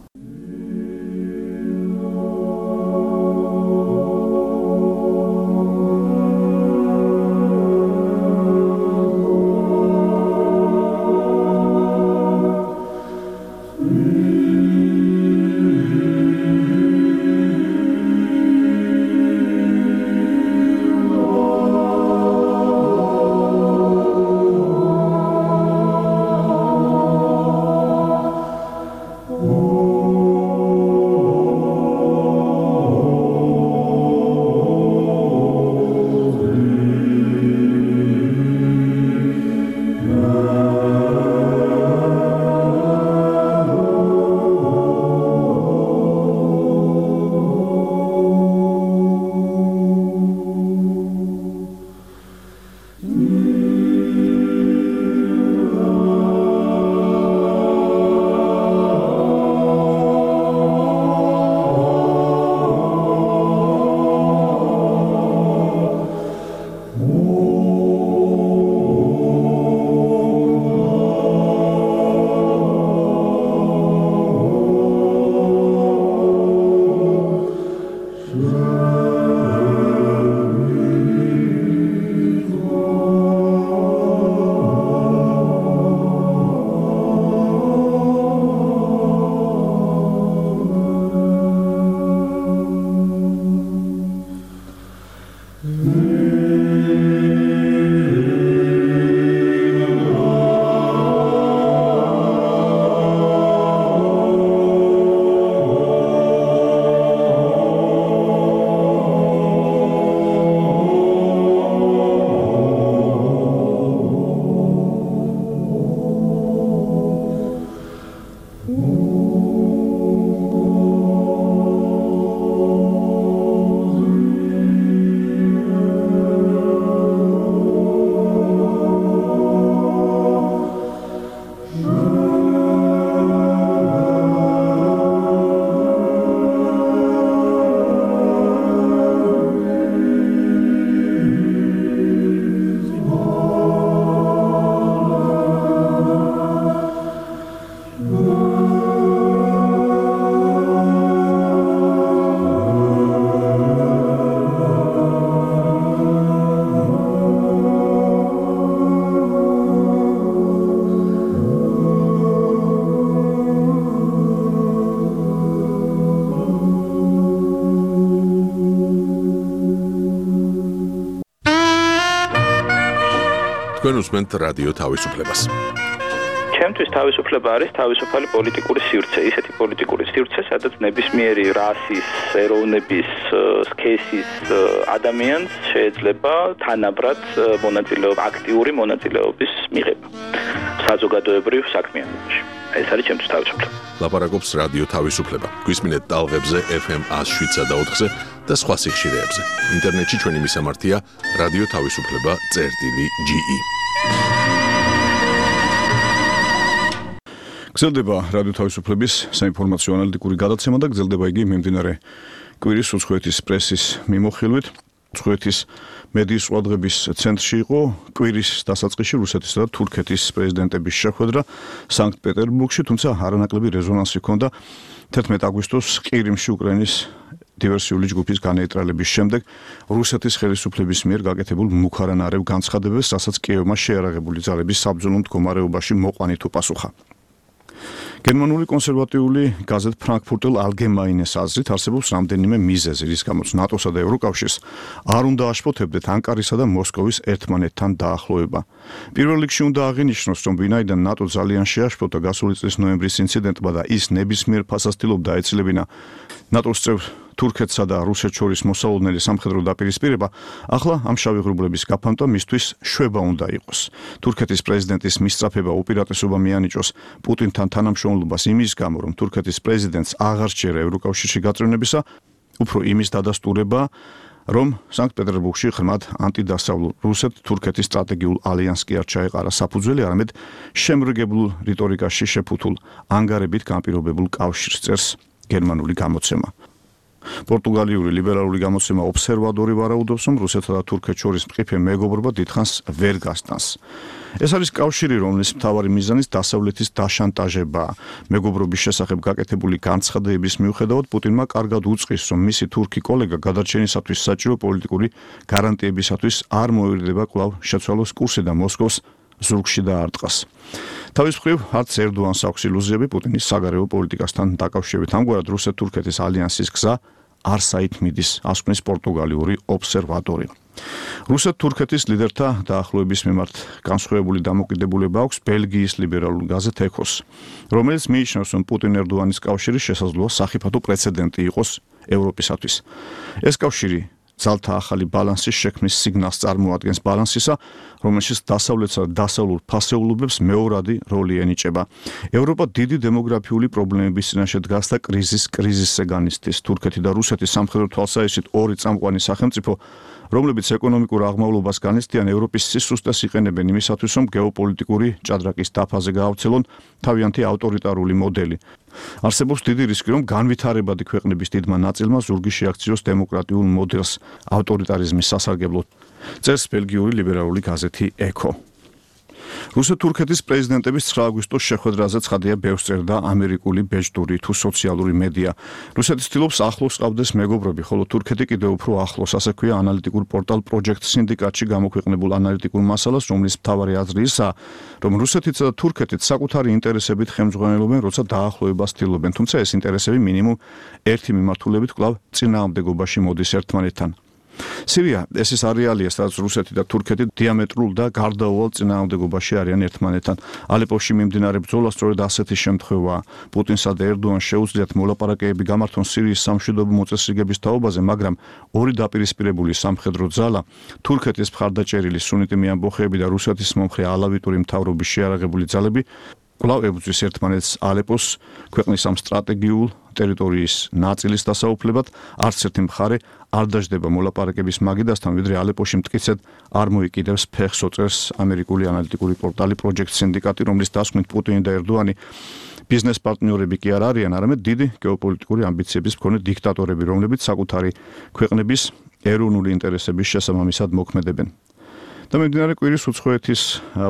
თქვენ უსმენთ რადიო თავისუფლებას. ჩემთვის თავისუფლება არის თავისუფალი პოლიტიკური სივრცე, ისეთი პოლიტიკური სივრცე, სადაც ნებისმიერი რასის, ეროვნების, სქესის ადამიანს შეიძლება თანაბრად მონაწილეობა, აქტიური მონაწილეობის მიღება საზოგადოებრივ საქმიანობაში. ეს არის ჩემთვის თავისუფლება. ლაპარაკობს რადიო თავისუფლება. გვისმინეთ ტალღებზე ეფ ემ one oh seven point four და სხვა სიხშირეებზე. ინტერნეტში ჩვენი მისამართია რადიო თავისუფლება წერტილი ჯი ი. გრძელდება რადიო თავისუფლების საინფორმაციო ანალიტიკური გადაცემა და გრძელდება იგი მიმდინარე კვირის უცხოეთის პრესის მიმოხილვით. უცხოეთის მედიის ყურადღების ცენტრში იყო კვირის დასაწყისში რუსეთისა და თურქეთის პრეზიდენტების შეხვედრა სანქტ-პეტერბურგში, თუმცა არანაკლები რეზონანსი ჰქონდა თერთმეტ აგვისტოს ყირიმში უკრაინის დივერსიული ჯგუფის განეიტრალების შემდეგ რუსეთის ხელისუფლების მიერ გაკეთებულ მუქარანარევ განცხადებებს, რასაც კიევმა შეარაღებული ძალების საბრძოლო მდგომარეობაში მოყვანით უპასუხა. გერმანული კონსერვატიული გაზეთ ფრანკფურტელ ალგემაინეს აზრით არსებობს რამდენიმე მიზეზი, რის გამოც ნატოსა და ევროკავშირს არ უნდა აშფოთებდეთ ანკარისა და მოსკოვის ერთმანეთთან დაახლოება. პირველ რიგში უნდა აღინიშნოს, რომ ვინაიდან ნატო ძალიან შეაშფოთა გასული წლის ნოემბრის ინციდენტმა და ის ნებისმიერ ფასასtildeობდა ეცილებინა ნატოს წევრ თურქეთსა და რუსეთს შორის მოსალოდნელი სამხედრო დაპირისპირება, ახლა ამ შავი ღრუბლების გაფანტვა მისთვის შვება უნდა იყოს. თურქეთის პრეზიდენტის მისწრაფება უპირატესობა მიანიჭოს პუტინთან თანამშრომლობას იმის გამო, რომ თურქეთის პრეზიდენტს აღარ სჯერა ევროკავშირში გაწევრებისა, უფრო იმის დადასტურება, რომ სანქტ-პეტერბურგში ღრმად ანტიდასავლურ რუსეთ-თურქეთის სტრატეგიულ ალიანსს კი არ ჩაეყარა საფუძველი, არამედ შემრგებულ რიტორიკაში შეფუთულ ანგარებით განპირობებულ კავშირს წერს გერმანული გამოცემა. პორტუგალიური ლიბერალური გამოცემა ობსერვატორი ვარაუდობს, რომ რუსეთსა და თურქეთს შორის მყიფე მეგობრობა დიდხანს ვერ გასტანს. ეს არის კავშირი, რომლის მთავარი მიზანიც დასავლეთის დაშანტაჟებაა. მეგობრობის შესახებ გაკეთებული განცხადებების მიუხედავად, პუტინმა კარგად უწყის, რომ მისი თურქი კოლეგა გადარჩენისათვის საჭირო პოლიტიკური გარანტიებისათვის არ მოერდება კვლავ შეცვალოს კურსი და მოსკოვს ზურგში დაარტყას. თავის მხრივ, არც ერდოანს აქვს ილუზიები პუტინის საგარეო პოლიტიკასთან დაკავშირებით. ამგვარად, რუსეთ-თურქეთის ალიანსის გზა არ საითმიდის, ასკვნის პორტუგალიური ობსერვატორი. რუსეთ-თურქეთის ლიდერთა დაახლოების მიმართ განსხვავებული დამოკიდებულება აქვს ბელგიის ლიბერალურ გაზეთ ეკოს, რომელიც მიიჩნევს, რომ პუტინ-ერდოანის კავშირი შესაძლოა სახიფათო პრეცედენტი იყოს ევროპისათვის. ეს კავშირი ძალთა ახალი ბალანსის შექმნის სიგნალს წარმოადგენს, ბალანსისა, რომელშიც დასავლეთსა და დასავლურ ფასეულობებს მეორადი როლი ენიჭება. ევროპა დიდი დემოგრაფიული პრობლემების წინაშე დგას და კრიზის კრიზისზე განიცდის. თურქეთი და რუსეთი სამხედრო თვალსაჩინო ორი წამყვანი სახელმწიფო, რომლებიც ეკონომიკურ აღმავლობას განიცდიან, ევროპის სისუსტეს იყენებენ იმისათვის, რომ გეოპოლიტიკური ჭადრაკის დაფაზე გაავრცელონ თავიანთი ავტორიტარული მოდელი. არსებობს დიდი რისკი, რომ განვითარებადი ქვეყნების დიდმა ნაწილმა ზურგი შეაქციოს დემოკრატიულ მოდელს ავტორიტარიზმის სასარგებლოდ, წერს ბელგიური ლიბერალური გაზეთი ეკო. რუსეთ-თურქეთის პრეზიდენტების ცხრა აგვისტოს შეხვედრაზე ცხადია ბევრს წერდა ამერიკული ბეჭდური თუ სოციალური მედია. რუსეთი ცდილობს ახლოს ყავდეს მეგობრები, ხოლო თურქეთი კიდევ უფრო ახლოს, ასე ქვია ანალიტიკურ პორტალ Project Syndicate-ში გამოქვეყნებულ ანალიტიკურ მასალას, რომლის მთავარი აზრი ისაა, რომ რუსეთიც და თურქეთიც საკუთარი ინტერესებით ხელმძღვანელობენ, როცა დაახლოებას ცდილობენ, თუმცა ეს ინტერესები მინიმუმ ერთი მიმართულებით კვლავ წინააღმდეგობაში მოდის ერთმანეთთან. სირია ეს ის არეალია, სადაც რუსეთი და თურქეთი დიამეტრულ და გარდაუვალ წინააღმდეგობაში არიან ერთმანეთთან. ალეპოში მიმდინარე ბრძოლა სწორედ ასეთი შემთხვევაა. პუტინსა და ერდოანს შეუძლიათ მოლაპარაკებები გამართონ სირიის სამშვიდობო მოწესრიგების თაობაზე, მაგრამ ორი დაპირისპირებული სამხედრო ძალა, თურქეთის მხარდაჭერილი სუნიტი მეამბოხეები და რუსეთის მომხრე ალავიტური მთავრობის შეარაღებული ძალები კვლავ ებრძვის ერთმანეთს ალეპოს ქვეყნის ამ სტრატეგიულ ტერიტორიის ნაწილის დასაუფლებად. არც ერთი მხარე არ დაждდება მოლაპარაკების მაგიდასთან, ვიდრე ალეპოში მტკიცედ არ მოიკიდებს ფეხს, წერს ამერიკული ანალიტიკური პორტალი Project Syndicate, რომლის დასკვნით პუტინი და ერდოანი ბიზნეს პარტნიორები კი არ არიან, არამედ დიდი გეოპოლიტიკური ამბიციების მქონე დიქტატორები, რომლებიც საკუთარი ქვეყნების ეროვნული ინტერესების შესაბამისად მოქმედებენ. და მიმდინარე კვირის უცხოეთის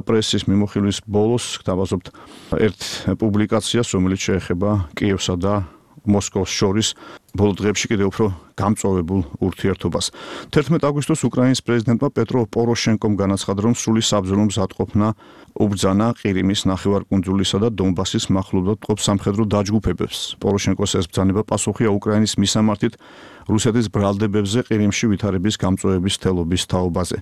პრესის მიმოხილვის ბოლოს გთავაზობთ ერთ პუბლიკაციას, რომელიც შეეხება კიევსა და მოსკოვს შორის ბოლო დღეებში კიდევ უფრო გამწვავებულ ურთიერთობას. თერთმეტ აგვისტოს უკრაინის პრეზიდენტმა პეტრო პოროშენკომ განაცხადა, რომ სრული საბრძოლო მზადყოფნა უბრძანა ყირიმის ნახევარკუნძულისა და დონბასის მახლობლად მყოფ სამხედრო დაჯგუფებებს. პოროშენკოს ეს ბრძანება პასუხია უკრაინის მისამართით რუსეთის ბრალდებებზე ყირიმში ვითარების გამწვავების თელობის თაობაზე.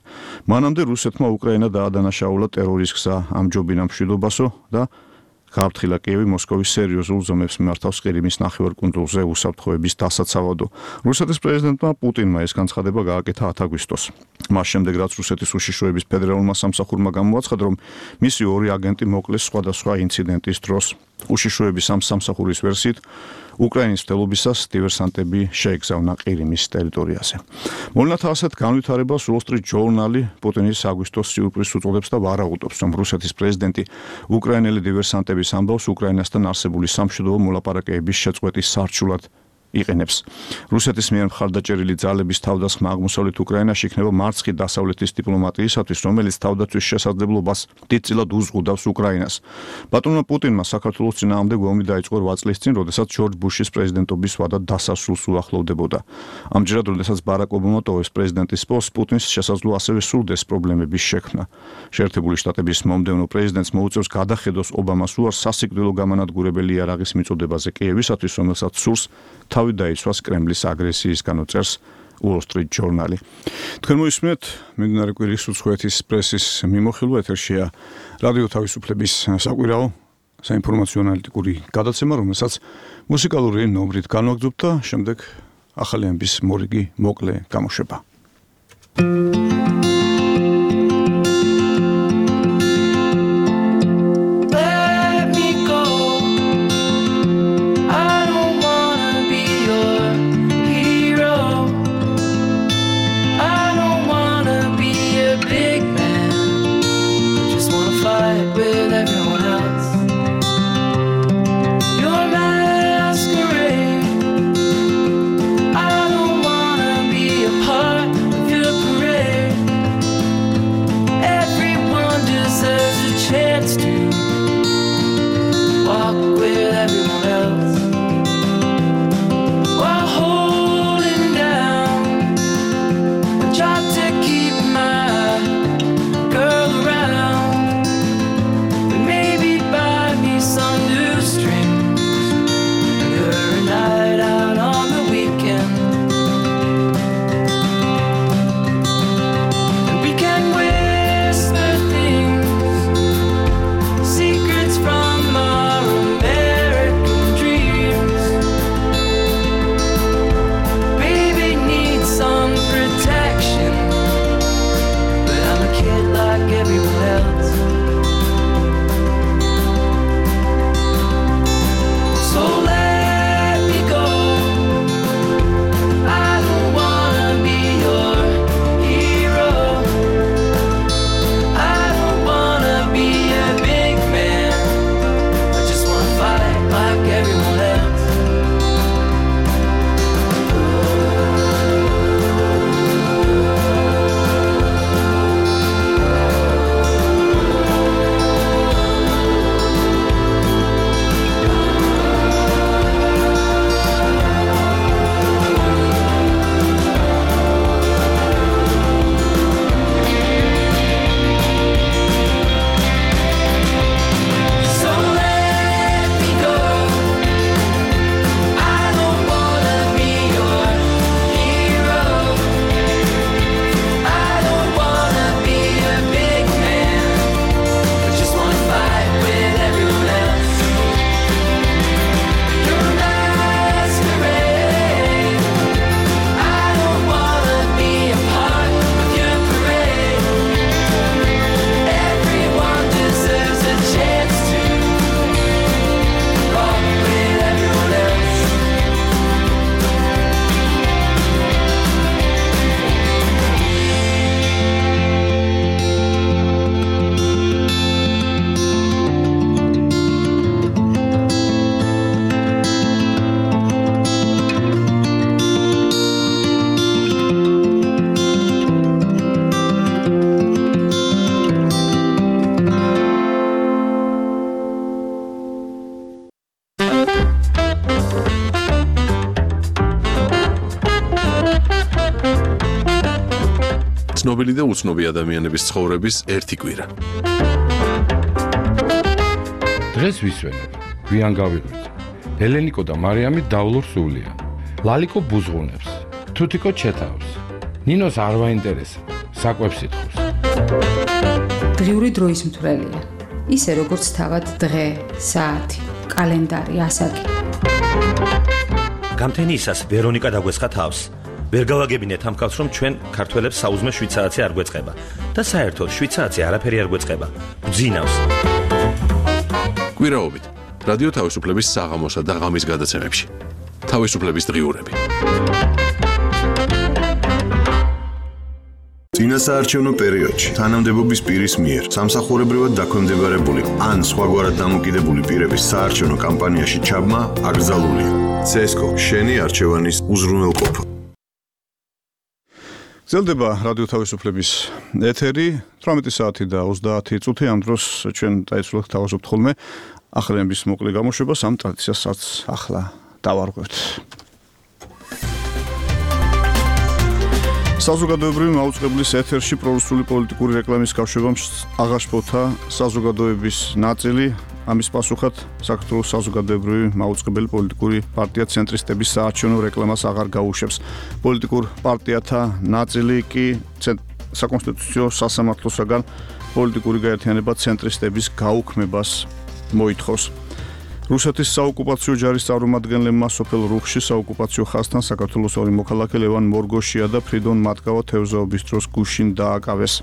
მანამდე რუსეთმა უკრაინა დაადანაშაულა ტერორის გზა ამჯობინა მშვიდობასო და გააფრთხილა კიევი მოსკოვის სერიოზულ ზომებს მიმართავს ყირიმის ნახევარკუნძულზე უსაფრთხოების დასაცავადო. რუსეთის პრეზიდენტმა პუტინმა ეს განცხადება გააკეთა ათ აგვისტოს. მას შემდეგ რაც რუსეთის უშიშროების ფედერალურმა სამსახურმა გამოაცხადა, რომ მისი ორი აგენტი მოკლეს სხვადასხვა ინციდენტის დროს. უშიშროების ამ სამსახურის ვერსიით უკრაინის მტელობისას დივერსანტები შეეგზავნა ყირიმის ტერიტორიაზე. მოვლენათა ასეთ განვითარებას Wall Street Journal პუტინის აგვისტოს სიურპრიზს უწოდებს და ვარაუდობს, რომ რუსეთის პრეზიდენტი უკრაინელი დივერსანტების ამბავს უკრაინასთან არსებული სამშვიდობო მოლაპარაკებების შეწყვეტის სარჩულად იყენებს. რუსეთის მიერ მხარდაჭერილი ძალების თავდასხმა აღმოსავლეთ უკრაინაში იქნება მარცხი დასავლეთის დიპლომატიისათვის, რომელიც თავდაცვის შესაძლებლობას დიდწილად უზღუდავს უკრაინას. ბატონმა პუტინმა საქართველოს წინააღმდეგ ომი დაიწყო რვა წლის წინ, როდესაც ჯორჯ ბუშის პრეზიდენტობის ვადა დასასრულს უახლოვდებოდა. ამჯერად, როდესაც ბარაკ ობამა ტოვებს პრეზიდენტის პოსტს, პუტინს შესაძლოა ასევე სურდეს პრობლემების შექმნა. შეერთებული შტატების მომდევნო პრეზიდენტს მოუწევს გადახედოს ობამას უარს სასიკვდილო გამანადგურებელი იარაღის მიწოდებაზე კიევისათვის, რომელსაც სურს თავი დაიცვას კრემლის აგრესიისგანო წერს Wall Street Journal. თქვენ მოისმენთ მიმდინარე კვირის უცხოეთის პრესის მიმოხილვა, ეთერშია რადიო თავისუფლების საკვირაო საინფორმაციო ანალიტიკური გადაცემა, რომელსაც მუსიკალური ნომრით განვაგრძობთ და შემდეგ ახალი ამბის მორიგი მოკლე გამოშვება. ცნობილი და უცნობი ადამიანების ცხოვრების ერთი კვირა. დღეს ვისვენებ, გვიან გავიღვიძე. ელენიკო და მარიამი დავლურ სულიან. ლალიკო ბუზღუნებს, თუთიკო ჩეთავს. ნინოს არ ვაინტერესებს, საკვებს ითხოვს. დღიური დროის მთვრელია. ისე როგორც თავად დღე, საათი, კალენდარი, ასაკი. გამთენიისას ვერონიკა დაგვესხა თავს. ვერ გავაგებინეთ ამ კაცს, რომ ჩვენ ქართველებს საუზმე შვიდ საათი არ გვეწყება და საერთოდ შვიდ საათი არაფერი არ გვეწყება. გძინავს. კვირაობით რადიო თავისუფლების საღამოსა და ღამის გადაცემებში. თავისუფლების დღიურები. წინასაარჩევნო პერიოდში თანამდებობის პირის მიერ სამსახურებრივად დაქვემდებარებული ან სხვაგვარად დამოკიდებული პირების საარჩევნო კამპანიაში ჩაბმა აკრძალულია. ცესკო შენი არჩევანის უზრუნველყოფა. გრძელდება რადიო თავისუფლების ეთერი თვრამეტი საათი და ოცდაათი წუთი. ამ დროს ჩვენ დაიცვლოთ თავაზობთ ხოლმე ახალების მოკლე გამოშვებას, ამ ტრადიციასაც ახლა დავარღვევთ. საზოგადოებრივი მაუწყებლის ეთერში პრორუსული პოლიტიკური რეკლამის კავშირობამ აღაშფოთა საზოგადოების ნაწილი. ამის პასუხად საქართველოს საზოგადოებრივი მაუწყებელი პოლიტიკური პარტია ცენტრისტების საარჩევნო რეკლამას აღარ გაუშვებს. პოლიტიკურ პარტიათა ნაწილი კი საკონსტიტუციო სასამართლოსაგან პოლიტიკური გაერთიანება ცენტრისტების გაუქმებას მოითხოვს. რუსეთის საოკუპაციო ჯარის წარმომადგენლებმა სოფელ რუხში საოკუპაციო ხაზთან საქართველოს ორი მოქალაქე ლევან მორგოშია და ფრიდონ მატკავა თევზაობის დროს გუშინ დააკავეს.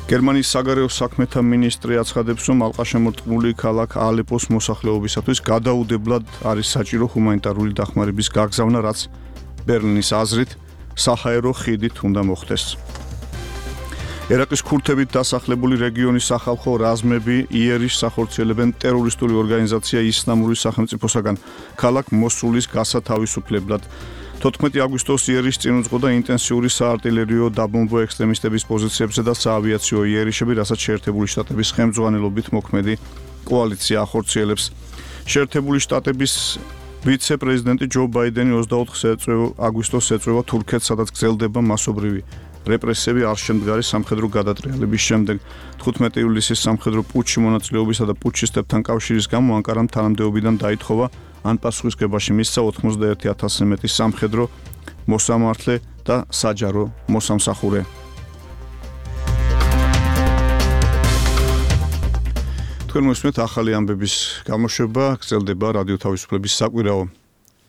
გერმანიის საგარეო საქმეთა მინისტრი აცხადებს, რომ ალყაშემორტყმული ქალაქ ალეპოს მოსახლეობისათვის გადაუდებლად არის საჭირო ჰუმანიტარული დახმარების გაგზავნა, რაც ბერლინის აზრით საჰაერო ხიდით უნდა მოხდეს. ერაყის ქურთებით დასახლებული რეგიონის სახალხო რაზმები იერიშს ახორციელებენ ტერორისტული ორგანიზაცია ისლამური სახელმწიფოსაგან ქალაქ მოსულის გასათავისუფლებლად. თოთხმეტი აგვისტოს იერიშს წინ უძღოდა ინტენსიური საარტილერიო დაბომბვა ექსტრემისტების პოზიციებზე და საავიაციო იერიშები, რასაც შეერთებული შტატების ხელმძღვანელობით მოქმედი კოალიცია ახორციელებს. შეერთებული შტატების ვიცე-პრეზიდენტი ჯო ბაიდენი ოცდაოთხ აგვისტოს ეწვევა თურქეთს, სადაც გრძელდება მასობრივი რეპრესიები არშემდგარი სამხედრო გადატრიალების შემდეგ. თხუთმეტი ივლისის სამხედრო პუტჩში მონაწილეობისა და პუტჩისტებთან კავშირის გამო ანკარამ თანამდებობიდან დაითხოვა, ან პასუხისგებაში მისცა ოცდაერთი ათასზე მეტი სამხედრო მოსამართლე და საჯარო მოსამსახურე. თქვენ მოსმენთ ახალი ამბების გამოშვება, გრძელდება რადიო თავისუფლების საკვირაო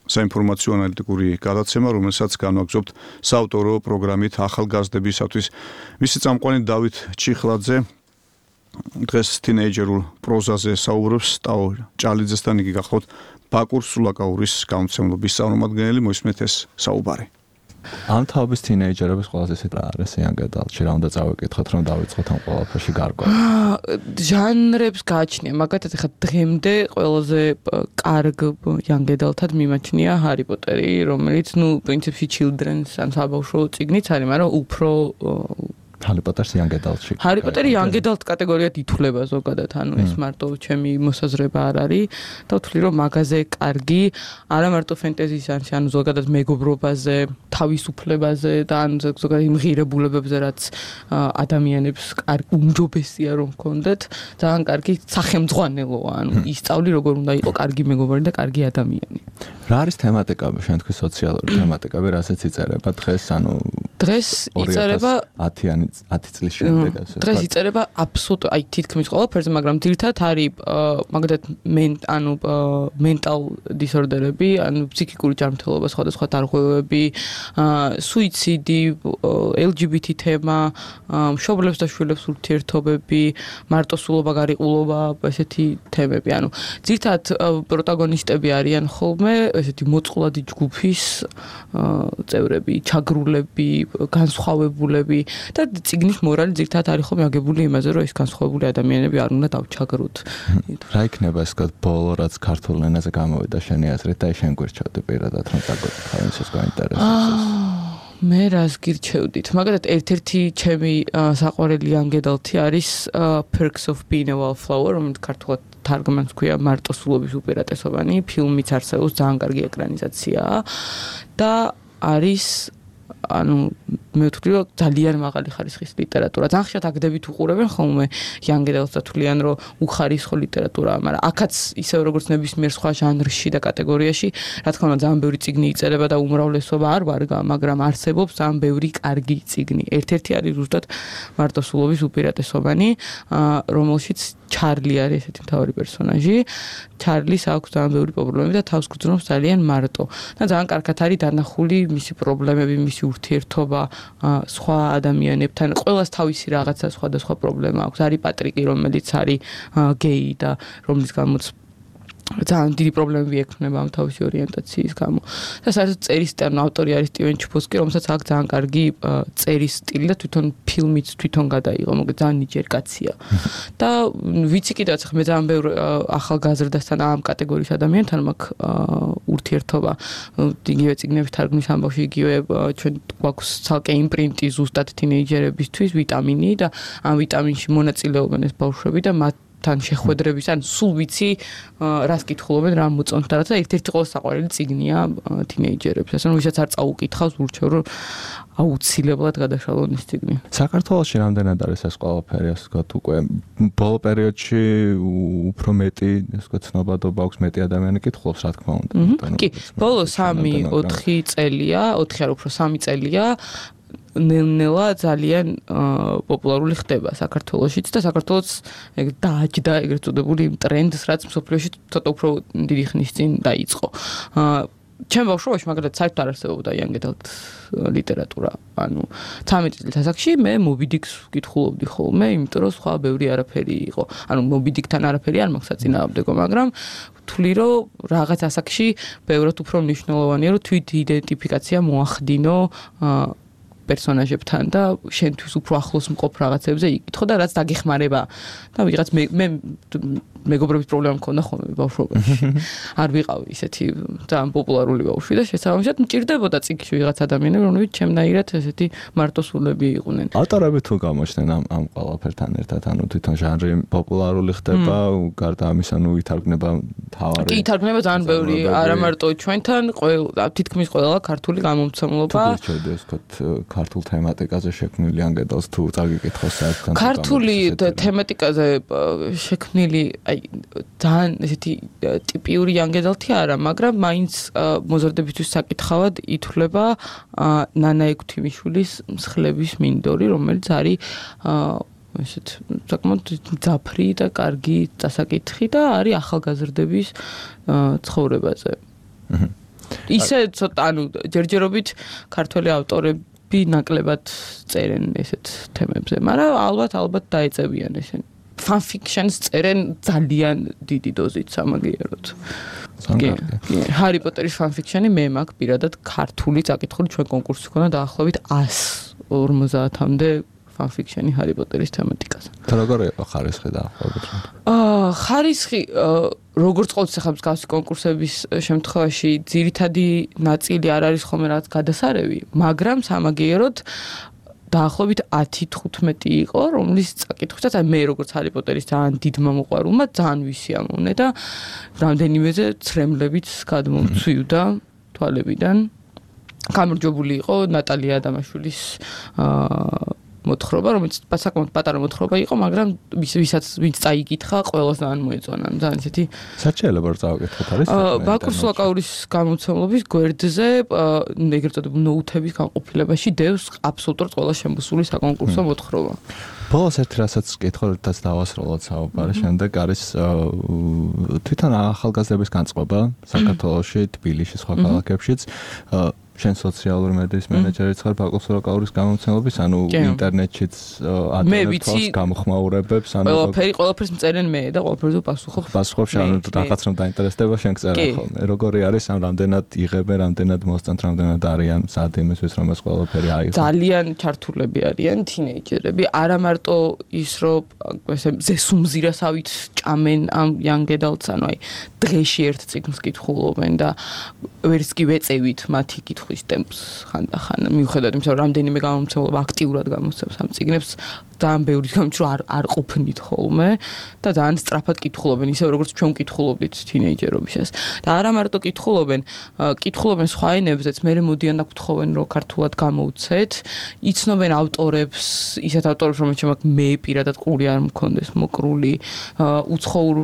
საინფორმაციო ანალიტიკური გადაცემა, რომელსაც განვაგრძობთ საავტორო პროგრამით ახალგაზრდებისათვის. მისი წამყვანი დავით ჩიხლაძე დღეს თინეიჯერულ პროზაზე საუბრობს ტაო ჭალიძესთან, იგი გახლავთ ბაკურ სულაკაურის გამომცემლობის წარმომადგენელი. მოისმენთ ეს საუბარი. ამ თაობის თინეიჯერების ყველაზე ისეთ რა არის იანგედალში, რა უნდა წავიკითხოთ, რომ დავიწყოთ ამ ყველაფერში გარკვევა. ჟანრებს გააჩნია, მაგათაც ახლა დღემდე ყველაზე კარგ იანგედალთად მიმაჩნია ჰარი პოტერი, რომელიც ნუ პრინციპში children's ან საბავშვო წიგნიც არის, მაგრამ უფრო ჰარი პოტერს იანგედალში. ჰარი პოტერი იანგედალთ კატეგორიად ითვლება ზოგადად, ანუ ეს მარტო ჩემი მოსაზრება არ არის და ვთვლი, რომ მაგაზე კარგი, არა მარტო ფენტეზის ანში, ანუ ზოგადად მეგობრობაზე, თავისუფლებაზე და ან ზოგადად იმ ღირებულებებზე, რაც ადამიანებს კარგი უმჯობესია რომ ჰქონდეთ, ძალიან კარგი სახელმძღვანელოა, ანუ ისწავლი როგორ უნდა იყოს კარგი მეგობარი და კარგი ადამიანი. რა არის თემატიკები, შენ თქვი სოციალური თემატიკები, რასაც იწერება დღეს, ანუ დღეს იწერება ათი წლის შემდეგ ასე. დღეს იწერება აბსოლუტურად აი თითქმის ყველაფერზე, მაგრამ ძირითადად არის მაგალითად ანუ mental disorder-ები, ანუ ფსიქიკური ჯანმრთელობა, სხვადასხვა დარღვევები, სუიციდი, ელ ჯი ბი თი თემა, მშობლებს და შვილებს ურთიერთობები, მარტოსულობა, გარიყულობა, ესეთი თემები. ანუ ძირითადად პროტაგონისტები არიან ხოლმე ესეთი მოწყვლადი ჯგუფის წევრები, ჩაგრულები, განსხვავებულები და წიგნის მორალი ძირითადად არის ხოლმე აგებული იმაზე, რომ ეს განსხვავებული ადამიანები არ უნდა დავჩაგროთ. რა იქნება ეს ბოლო, რაც ქართულ ენაზე გამოვიდა შენი აზრით და შენ გვერდჩავდი პირადად, რომ დაგოთხარ, ის გაინტერესებს. მე რას გირჩევდით? მაგალითად, ერთ-ერთი ჩემი საყვარელი იანგედალთი არის Perks of Being a Wallflower, რომელიც ქართულად თარგმანს ქვია მარტოსულობის უპირატესობანი, ფილმიც არსებობს, ძალიან კარგი ეკრანიზაციაა და არის ანუ მე ვთვლი რომ ძალიან მაღალი ხარისხის ლიტერატურა. ძალიან ხშირად აგდებით უყურებენ ხოლმე young adults და თვლიან რომ უხარისხო ლიტერატურაა, მაგრამ აქაც ისევ როგორც ნებისმიერ სხვა ჟანრში და კატეგორიაში, რა თქმა უნდა ძალიან ბევრი წიგნი იწერება და უმრავლესობა არ ვარგა, მაგრამ არსებობს ძალიან ბევრი კარგი წიგნი. ერთ-ერთი არის ზუსტად მარტოსულობის უპირატესობანი, რომელშიც ჩარლი არის ესეთი მთავარი პერსონაჟი. ჩარლის აქვს ძალიან ბევრი პრობლემები და თავს გძნობს ძალიან მარტო. და ძალიან კარგად არის დანახული მისი პრობლემები, მისი ურთიერთობა სხვა ადამიანებთან. ყველას თავისი რაღაცა სხვადასხვა პრობლემა აქვს. არის პატრიკი, რომელიც არის გეი და რომლის გამოც ძალიან დიდი პრობლემები ექნება ამ თავისი ორიენტაციის გამო. და საერთოდ წერის სტილი ავტორი არის სტივენ ჩბოსკი, რომელსაც აქვს ძალიან კარგი წერის სტილი და თვითონ ფილმიც თვითონ გადაიღო, მოკლედ ძალიან ნიჭიერი კაცია. და ვიცი კიდევაც მე ძალიან ბევრ ახალგაზრდასთან ამ კატეგორიის ადამიანთან მაქვს ურთიერთობა. იგივე წიგნების თარგმნის ამბავში, იგივე ჩვენ გვაქვს ცალკე იმპრინტი ზუსტად თინეიჯერებისთვის ვიტამინი და ამ ვიტამინში მონაწილეობენ ეს ბავშვები და მათ თან შეხვედრების, ან სულ ვიცი რას კითხულობენ, რა მოწონთ და რა და ერთ-ერთი ყოველ საყვარელი წიგნია თინეიჯერებს. ასე რომ ვისაც არ წაუკითხავს, ურჩევ რომ აუცილებლად გადაშალონ ის წიგნი. საქართველოში რამდენად არის ეს ყველაფერი, ასე ვთქვათ, უკვე ბოლო პერიოდში უფრო მეტი, ასე ვთქვათ, ცნობადობა აქვს, მეტი ადამიანი კითხულობს, რა თქმა უნდა. კი, ბოლო სამი ოთხი წელია, ოთხი არ უფრო სამი წელია ნელ-ნელა ძალიან პოპულარული ხდება საქართველოშიც და საქართველოს ეგ დააჯდა ეგრეთ წოდებული ტრენდს, რაც მსოფლიოში ცოტა უფრო დიდი ხნის წინ დაიწყო. ჩემ ბავშვობაში მაგალითად საერთოდ არ არსებობდა young adult ლიტერატურა. ანუ ცამეტი წლის ასაკში მე Moby Dick-ს ვკითხულობდი ხოლმე, იმიტომ რომ სხვა ბევრი არაფერი იყო. ანუ Moby Dick-თან არაფერი არ მაქვს საწინააღმდეგო, მაგრამ ვთვლი რომ რაღაც ასაკში ბევრად უფრო მნიშვნელოვანია რომ თვით იდენტიფიკაცია მოახდინო პერსონაჟებთან და შენთვის უფრო ახლოს მყოფ რაღაცებზე იკითხო და რაც დაგეხმარება და ვიღაც მე მე მეგობრების პრობლემა მქონდა ხოლმე ბავშვობაში. არ ვიყავი ისეთი ძალიან პოპულარული ბავშვი და შესაბამისად მჭირდებოდა წიგნში ვიღაც ადამიანები, რომლებიც ჩემნაირად ესეთი მარტოსულები იყვნენ. ავტორები თუ გამოჩნდნენ ამ ამ ყველაფერთან ერთად, ანუ თვითონ ჟანრი პოპულარული ხდება, გარდა ამისა, ნუ ითარგმნება თავარი. კი, ითარგმნება ძალიან ბევრი, არა მარტო ჩვენთან, ყველა თითქმის ყველა ქართული გამომცემლობა. თუ შეიძლება ეს ვთქვათ ქართულ თემატიკაზე შექმნილი young adults თუ წაგიკითხოს საერთოდ ქართული თემატიკაზე შექმნილი აი ძალიან ესეთი ტიპიური young adult-ი არა, მაგრამ მაინც მოზარდებისთვის საკითხავად ითვლება ნანა ექვთიმიშვილის მსხლების მინდორი, რომელიც არის ესეთ საკმაოდ ძაფრი და კარგი დასაკითხი და არის ახალგაზრდების ცხოვრებაზე. ისე ცოტა ანუ ჯერჯერობით ქართველი ავტორები ნაკლებად წერენ ესეთ თემებზე, მაგრამ ალბათ ალბათ დაეწევიან ესენ. fan fiction-ს წერენ ძალიან დიდი დოზით სამაგიეროდ. კი, ჰარი პოტერის fan fiction-ი მე მაქვს პირადად ქართული წაკითხული, ჩვენ კონკურსი ქონდა დაახლოებით ას ორმოცამდე fan fiction-ი ჰარი პოტერის თემატიკაზე. და როგორ იყო ხარისხი დაახლოებით? აა ხარისხი როგორც ყოველთვის ახლა მსგავსი კონკურსების შემთხვევაში ძირითადი ნაწილი არ არის ხოლმე რაც გადასარევი, მაგრამ სამაგიეროდ დაახლოებით ათი თხუთმეტი იყო, რომლის წაკითხვისას მე როგორც ჰარი პოტერის ძალიან დიდმა მოყვარულმა ძალიან ვისიამოვნე და რამდენიმეზე ცრემლებიც გადმომცვიუდა თვალებიდან. გამარჯვებული იყო ნატალია ადამაშვილის აა მოთხრობა, რომელიც საკმაოდ პატარა მოთხრობა იყო, მაგრამ ვისაც ვინც წაიკითხა, ყველას ძალიან მოეწონა. ძალიან ისეთი საჩელება რა წავიკითხოთ არის? ბაკურ სულაკაურის გამოცემლობის გვერდზე ეგრეთ წოდებული ნოუთების განყოფილებაში დევს აბსოლუტურად ყველა შემოსული საკონკურსო მოთხრობა. ბოლოს ერთ რასაც კითხულობთ დავასრულოთ საუბარი, შემდეგ არის თვითონ ახალგაზრდების განწყობა საქართველოში, თბილისში, სხვა ქალაქებშიც. შენ სოციალური მედიის მენეჯერიც ხარ ბაკურ სულაკაურის გამომცემლობის, ანუ ინტერნეტშიც ადამიანებს გამოხმაურებებს, ანუ ყველაფერი ყველაფერს მწერენ მე და ყველაფერზე პასუხობ. პასუხობ შენ რაღაც რომ დაინტერესდება შენ წერა ხოლმე. როგორი არის ამ რამდენად იღებენ, რამდენად მოსწონთ, რამდენად არიან სად იმისთვის რომ ეს ყველაფერი აიღო. ძალიან ჩართულები არიან თინეიჯერები, არა მარტო ის რომ ესე ზესუმზირასავით ჭამენ ამ young adults, ანუ აი დღეში ერთ წიგნს კითხულობენ და ვერც კი ვეწევით მათი კითხვა პასუხის ტემპს ხანდახან მიუხედავად იმისა, რომ რამდენიმე გამომცემლობა აქტიურად გამოსცემს ამ წიგნებს, ძალიან ბევრი გამიჩნდა რომ არ არ ყოფნით ხოლმე და ძალიან სწრაფად კითხულობენ, ისე როგორც ჩვენ კითხულობდით თინეიჯერობისას. და არა მარტო კითხულობენ, კითხულობენ სხვა ენებზეც, მე მოდიან და გთხოვენ რომ ქართულად გამოუცეთ, იცნობენ ავტორებს, ისეთ ავტორებს, რომელთაც მაგ მე პირადად ყური არ მქონდეს მოკრული უცხოურ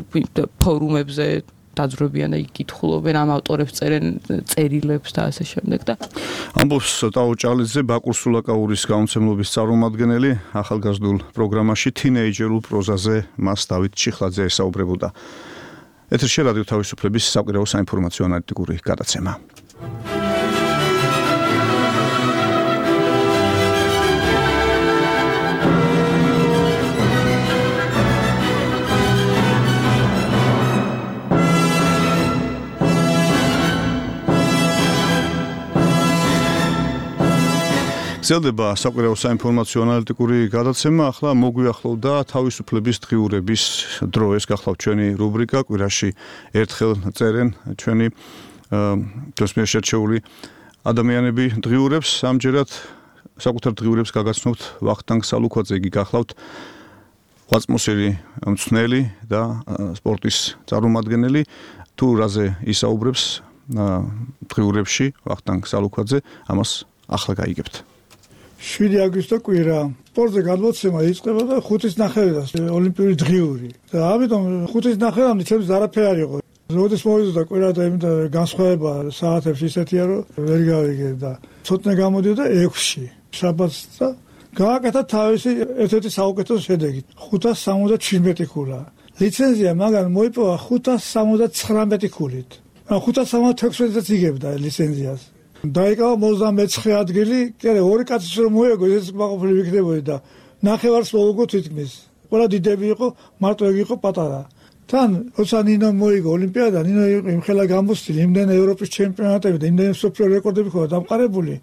ფორუმებზე დაძრობიან და იკითხულობენ ამ ავტორებს წერენ წერილებს და ასე შემდეგ და ამბობს ტაო ჭალიძე ბაკურ სულაკაურის გამომცემლობის წარმომადგენელი ახალგაზრდულ პროგრამაში თინეიჯერულ პროზაზე მას დავით ჩიხლაძე ესაუბრებოდა. ეთერში რადიო თავისუფლების საკვირაო საინფორმაციო ანალიტიკური გადაცემა. გრძელდება საკვირაო საინფორმაციო ანალიტიკური გადაცემა. ახლა მოგვიახლოვდა თავისუფლების დღიურების დრო. ეს გახლავთ ჩვენი რუბრიკა კვირაში ერთხელ წერენ ჩვენი ჩვენს მიერ შერჩეული ადამიანები დღიურებს. ამჯერად საკუთარ დღიურებს გაგაცნობთ ვახტანგ სალუქვაძე, იგი გახლავთ ღვაწმოსილი მწვრთნელი და სპორტის წარმომადგენელი. თუ რაზე ისაუბრებს დღიურებში ვახტანგ სალუქვაძე, ამას ახლა გაიგებთ. შვიდი აგვისტო კვირა სპორტზე გადმოცემა იწყება და ხუთის ნახევრიდან ოლიმპიური დღიური და ამიტომ ხუთის ნახევრამდე ჩემს არაფერი არ იყო. როდის მოვიდა კვირა და იმდა განსხვავება საათებში ისეთია რომ ვერ გავიგე და ცოტნე გამოდიოდა ექვსში შაბათს და გააკეთა თავისი ერთ-ერთი საუკეთესო შედეგი ხუთას სამოცდაჩვიდმეტი ქულა. ლიცენზია მაგან მოიპოვა ხუთას სამოცდაცხრამეტი ქულით. ხუთას სამოცდათექვსმეტიც იგებდა ლიცენზიას. დაიკავა ოცდამეცხრე ადგილი, კი არა, ორი კაცის რომ მოეგო, ეს მაყოფილი ვიქნებოდი და ნახევარს მოუგო თითქმის. ყველა დიდები იყო, მარტო ეგ იყო პატარა. თან, როცა ნინო მოიგო ოლიმპიადა, ნინო იმხელა გამოსწილი, იმდენი ევროპის ჩემპიონატები და იმდენი მსოფლიო რეკორდები ხო დამყარებული.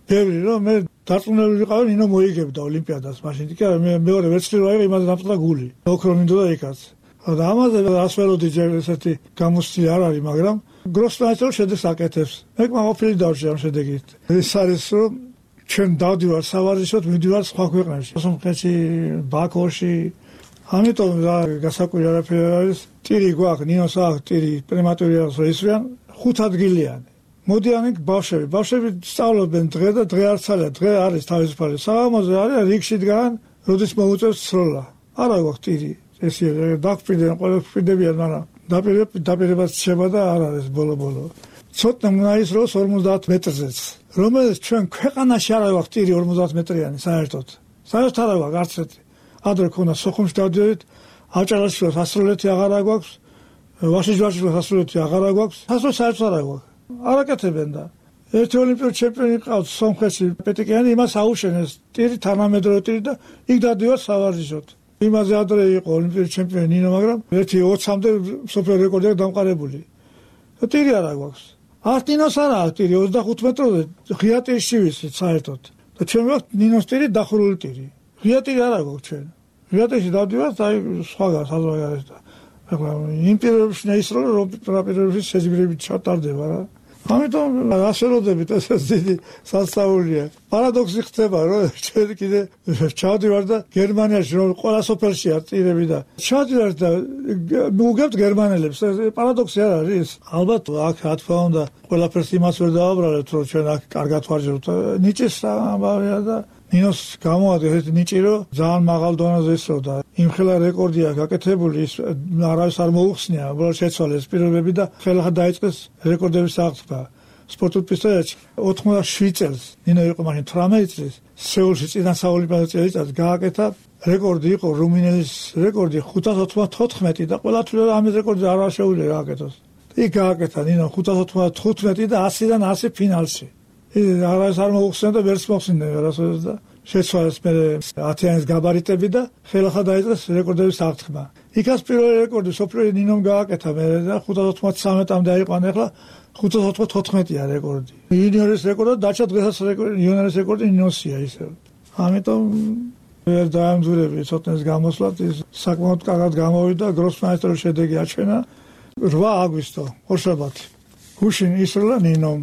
ბევრი რომ მე დარწმუნებული ვიყავი, ნინო მოიგებდა ოლიმპიადას მაშინ. კი არა, მე მეორე ვერცხლი რო აიღე, იმაზე დამწყდა გული. ოქრო მინდოდა იქაც. და ამაზე ასველოდი ჯერ ესეთი გამოსწილი არ არის, მაგრამ გროსმაისტერო შედეგს აკეთებს. მე მაყოფილი დავშე ამ შედეგით. ეს არის რომ ჩვენ დავდივარ სავარჯიშოდ, მივდივარ სხვა ქვეყნებში. სომხეთში, ბაქოში. ამიტომ რა გასაკვირი არაფერი არის. ტირი გვაქვს, ნინოს აქვს ტირი, პრემატურიას რო ისვრიან, ხუთ ადგილიანი. მოდიან იქ ბავშვები. ბავშვები სწავლობენ დღე და დღე არც არის, დღე არის თავისუფალი. საღამოზე არის რიგში დგან, როდის მოუწევს სროლა. არა გვაქვს ტირი. ესე დაგფრინდნენ, ყველა ფრინდებიან, მაგრამ დაპირებაც შეება და არ არის ბოლო-ბოლო. ცოტა უნდა ისროს ორმოცდაათ მეტრზეც, რომელიც ჩვენ ქვეყანაში არ აქვს ტირი ორმოცდაათ მეტრიანი საერთოდ. საერთოდ არ აქვს არც ერთი. ადრე ქონდა სოხუმში დავდივართ, აჭარაში სასროლეთი აღარ აქვს, ვაშიჯვარში სასროლეთი აღარ აქვს, სასროლეთი საერთოდ არ აქვს. არ აკეთებენ და ერთი ოლიმპიური ჩემპიონი ყავს სომხეთში პეტიკიანი, იმას აუშენეს ტირი თანამედროვე ტირი და იქ დავდივარ სავარჯიშოდ. იმაზე ადრე იყო ოლიმპიური ჩემპიონი ნინო, მაგრამ ერთი ოცამდე მსოფლიო რეკორდია დამყარებული. და ტირი არ აქვს. არც ნინოს არ აქვს ტირი ოცდახუთ მეტროზე, ღია ტირში ვიცით საერთოდ. და ჩვენ ვაქვს ნინოს ტირი დახურული ტირი. ღია ტირი არ აქვს ჩვენ. ღია ტირში დავდივართ, აი სხვაგან საზღვარი არის და ახლა იმ პირობებში ნაისრო რომ პირობებში შეძგირებით ჩატარდება რა. ამიტომ ასველოდებით ეს დიდი სასწაულია. პარადოქსი ხდება რომ ჩვენ კიდე ჩავდივარ და გერმანიაში რომ ყველა სოფელშია ტირები და ჩავდივარ და მოგებთ გერმანელებს. პარადოქსი არ არის? ალბათ აქ რა თქმა უნდა ყველაფერს იმას ვერ დავაბრალებთ რომ ჩვენ აქ კარგად ვარჯეროთ. ნიჭის ამბავია და ნინოს გამოადგეს ეს ნიჭი რომ ძალიან მაღალ დონეზე ისროდა. იმხელა რეკორდია გაკეთებული, ის არავის არ მოუხსნია, უბრალოდ შეცვალეს პირობები და ხელახლა დაიწყეს რეკორდების აღწევა. სპორტულ პისტოლეტში ოთხმოცდაშვიდ წელს, ნინო იყო მაშინ თვრამეტი წლის, სეულში წინა საოლიმპიადო წელიწადს გააკეთა რეკორდი იყო რუმინელის რეკორდი ხუთას ოცდათოთხმეტი და ყველა თვლა ამ რეკორდზე არ შეუძლია გააკეთოს. იქ გააკეთა ნინო ხუთას ოცდათხუთმეტი და ასიდან ასი ფინალში. ის არავის არ მოუხსნა და ვერც მოხსნიდნენ ვერასოდეს და შეცვალეს მე ათიანის გაბარიტები და ხელახლა დაიწყეს რეკორდების აღწევა. იქაც პირველი რეკორდი სოფლიო ნინომ გააკეთა მე და ხუთას ოცდათვრამეტამდე აიყვანა, ახლა ხუთას ოცდათოთხმეტია რეკორდი. იუნიორის რეკორდი დაჩა დღესაც რეკორდი, იუნიორის რეკორდი ნინოსია ისე. ამიტომ ვერ დაამძურები ცოტნეს გამოსვლად, ის საკმაოდ კარგად გამოვიდა, გროსმაისტერო შედეგი აჩვენა. რვა აგვისტო, ორშაბათი. გუშინ ისროლა ნინომ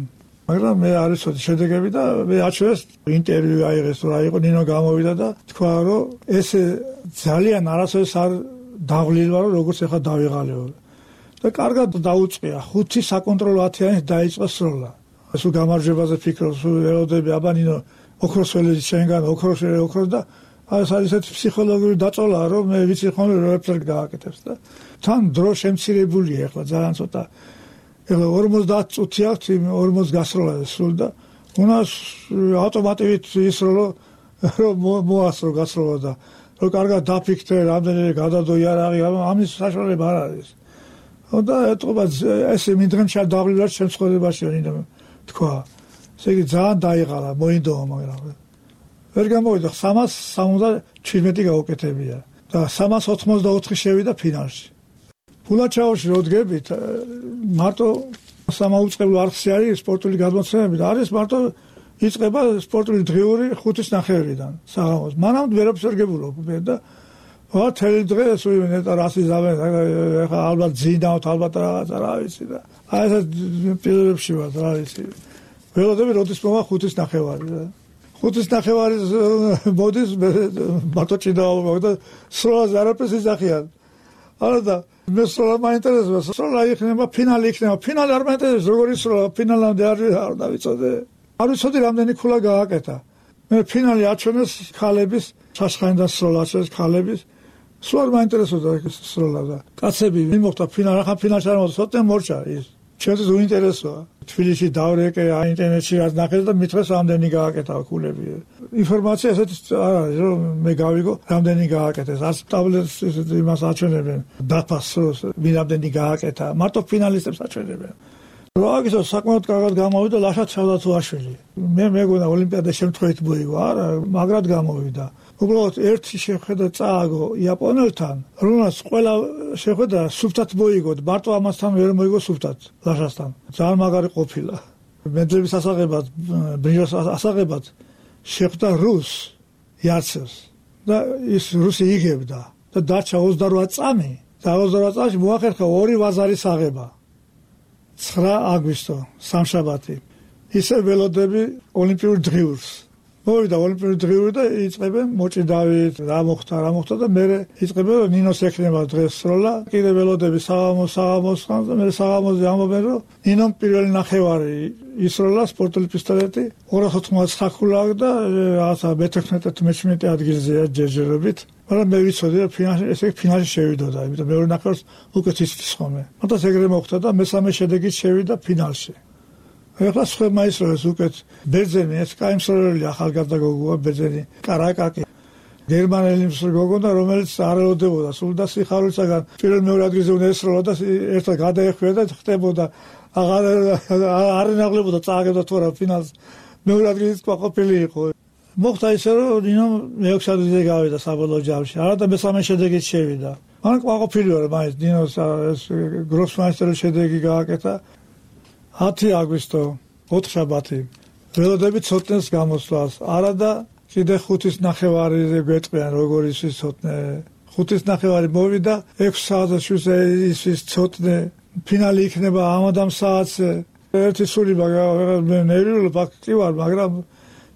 მაგრამ მე არ ვიცოდი შედეგები და მე აჩვენეს ინტერვიუ აიღეს რა იყო ნინო გამოვიდა და თქვა რომ ეს ძალიან არასოდეს არ დაღლილვა რომ როგორც ახლა დავიღალიო და კარგად დაუწყია ხუთი საკონტროლო ათიანი დაიწყო სროლა სულ გამარჯვებაზე ფიქრობს ელოდები აბა ნინო ოქროსველი შენგან ოქროსველი ოქროს და ეს არის ესეთი ფსიქოლოგიური დაწოლა რომ მე ვიცი ხოლმე რომ ეფერ გააკეთებს და თან დრო შემცირებულია ახლა ძალიან ცოტა ეხლა ორმოცდაათი წუთი აქვს ორმოცი გასროლა სულ და უნას ავტომატივით ისროლო რომ მოასრო გასროლა და რომ კარგად დაფიქრე რამდენი გადადო იარაღი ამის საშუალება არ არის და ეთყობა ესე მინდრემშა დაღლილად შემსხვერებაში ნინო თქვა ესე იგი ძალიან დაიღალა მოინდომა მაგრამ ვერ გამოვიდა სამას სამოცდაჩვიდმეტი გაუკეთებია და სამას ოცდაოთხი შევიდა ფინალში ფულაჩაოში როდგებით მარტო სამაუწყებლო არხი არის სპორტული გადმოცემები და არის მარტო იწყება სპორტული დღიური ხუთის ნახევრიდან საღამოს მანამდე ვერაფერს ვერ გებულობ მე და ვა თელი დღე სულ ნეტა რასიზავენ ახლა ალბათ ძინავთ ალბათ რაღაცა რა ვიცი და აი ეს პირებში ვარ რა ვიცი ველოდები როდის მოვა ხუთის ნახევარი და ხუთის ნახევარის მოდის მარტო ჭიდაობა და სროლას არაფერს ისახიან არა და მე სროლა მაინტერესებს სროლა იქნება ფინალი იქნება ფინალი არ მაინტერესებს როგორი სროლა ფინალამდე არ არ დავიცოდე არ ვიცოდი რამდენი ქულა გააკეთა მე ფინალი აჩვენეს ქალების ჩაშხაინდა სროლა აჩვენეს ქალების სულ არ მაინტერესებდა ეს სროლა და კაცები მიმოხდა ფინალი ახლა ფინალში არ მოხდა სოტენ მორჩა ის ჩვენთვის უინტერესოა თბილისში დავრეკე ინტერნეტში რაც ნახეს და მითხრეს რამდენი გააკეთა ქულები ინფორმაცია ესეთი არ არის რომ მე გავიგო რამდენი გააკეთეს არც ტაბლეტს იმას აჩვენებენ დაფას ვინ რამდენი გააკეთა მარტო ფინალისტებს აჩვენებენ რა გისო საკმაოდ კარგად გამოვიდა ლაშა ჩავდათუაშვილი მე მეგონა ოლიმპიადა შემთხვევით მოიგო არა მაგრად გამოვიდა უბრალოდ ერთი შეხედა წააგო იაპონელთან რომელსაც ყველა შეხედა სუფთად მოიგო მარტო ამასთან ვერ მოიგო სუფთად ლაშასთან ძალიან მაგარი ყოფილა მედლების ასაღებად ბრინჯაოს ასაღებად შეხვდა რუს იარცევს და ის რუსი იგებდა და დარჩა ოცდარვა წამი და ოცდარვა წამში მოახერხა ორი ვაზარის აღება ცხრა აგვისტო სამშაბათი ისე ველოდები ოლიმპიურ დღიურს მოვიდა ოლიმპიური დღიური და იწყებენ მოჭიდავით რა მოხდა რა მოხდა და მე იწყებენ ნინოს ექნება დღეს სროლა კიდე ველოდები საღამოს საღამოს და მე საღამოზე ამობენ რომ ნინომ პირველი ნახევარი ისროლა სპორტული პისტოლეტი ორას ოცდაოთხი ქულა და რაღაცა მეთექვსმეტე მეჩვიდმეტე ადგილზეა ჯერჯერობით მაგრამ მე ვიცოდი რომ ფინალში ესე ფინალში შევიდოდა იმიტომ მეორე ნახევარს უკეთ იცის ხოლმე მაგრამ ეგრე მოხდა და მესამე შედეგით შევიდა ფინალში ეხლა სხვა ისროლის უკეთ ბერძენი ეს კაიმსროლელი ახალგაზრდა გოგოა ბერძენი კარაკაკი გერმანელი გოგო და რომელიც არ ელოდებოდა სულ და სიხარულისაგან პირველ მეორე ადგილზე უნდა ესროლა და ერთად გადაეხვია და ხდებოდა აღარ არ ნაღლებოდა წააგებდა თორა ფინალს მეორე ადგილით ყოფილი იყო მოხდა ისე რომ ნინო მეექვსე ადგილზე გავიდა საბოლოო ჯამში არა და მესამე შედეგით შევიდა მან ყოფილი ვარ მაინც ნინოს ეს გროსმაისტერის შედეგი გააკეთა ათი აგვისტო ოთხშაბათი ველოდები ცოტნეს გამოსვლას არა და კიდე ხუთის ნახევარიზე გვეტყვიან როგორ ის ცოტნე ხუთის ნახევარი მოვიდა ექვსი საათზე ის ცოტნე ფინალი იქნება ამადამ საათზე ერთი სული მე ნერვიულ ფაქტი ვარ მაგრამ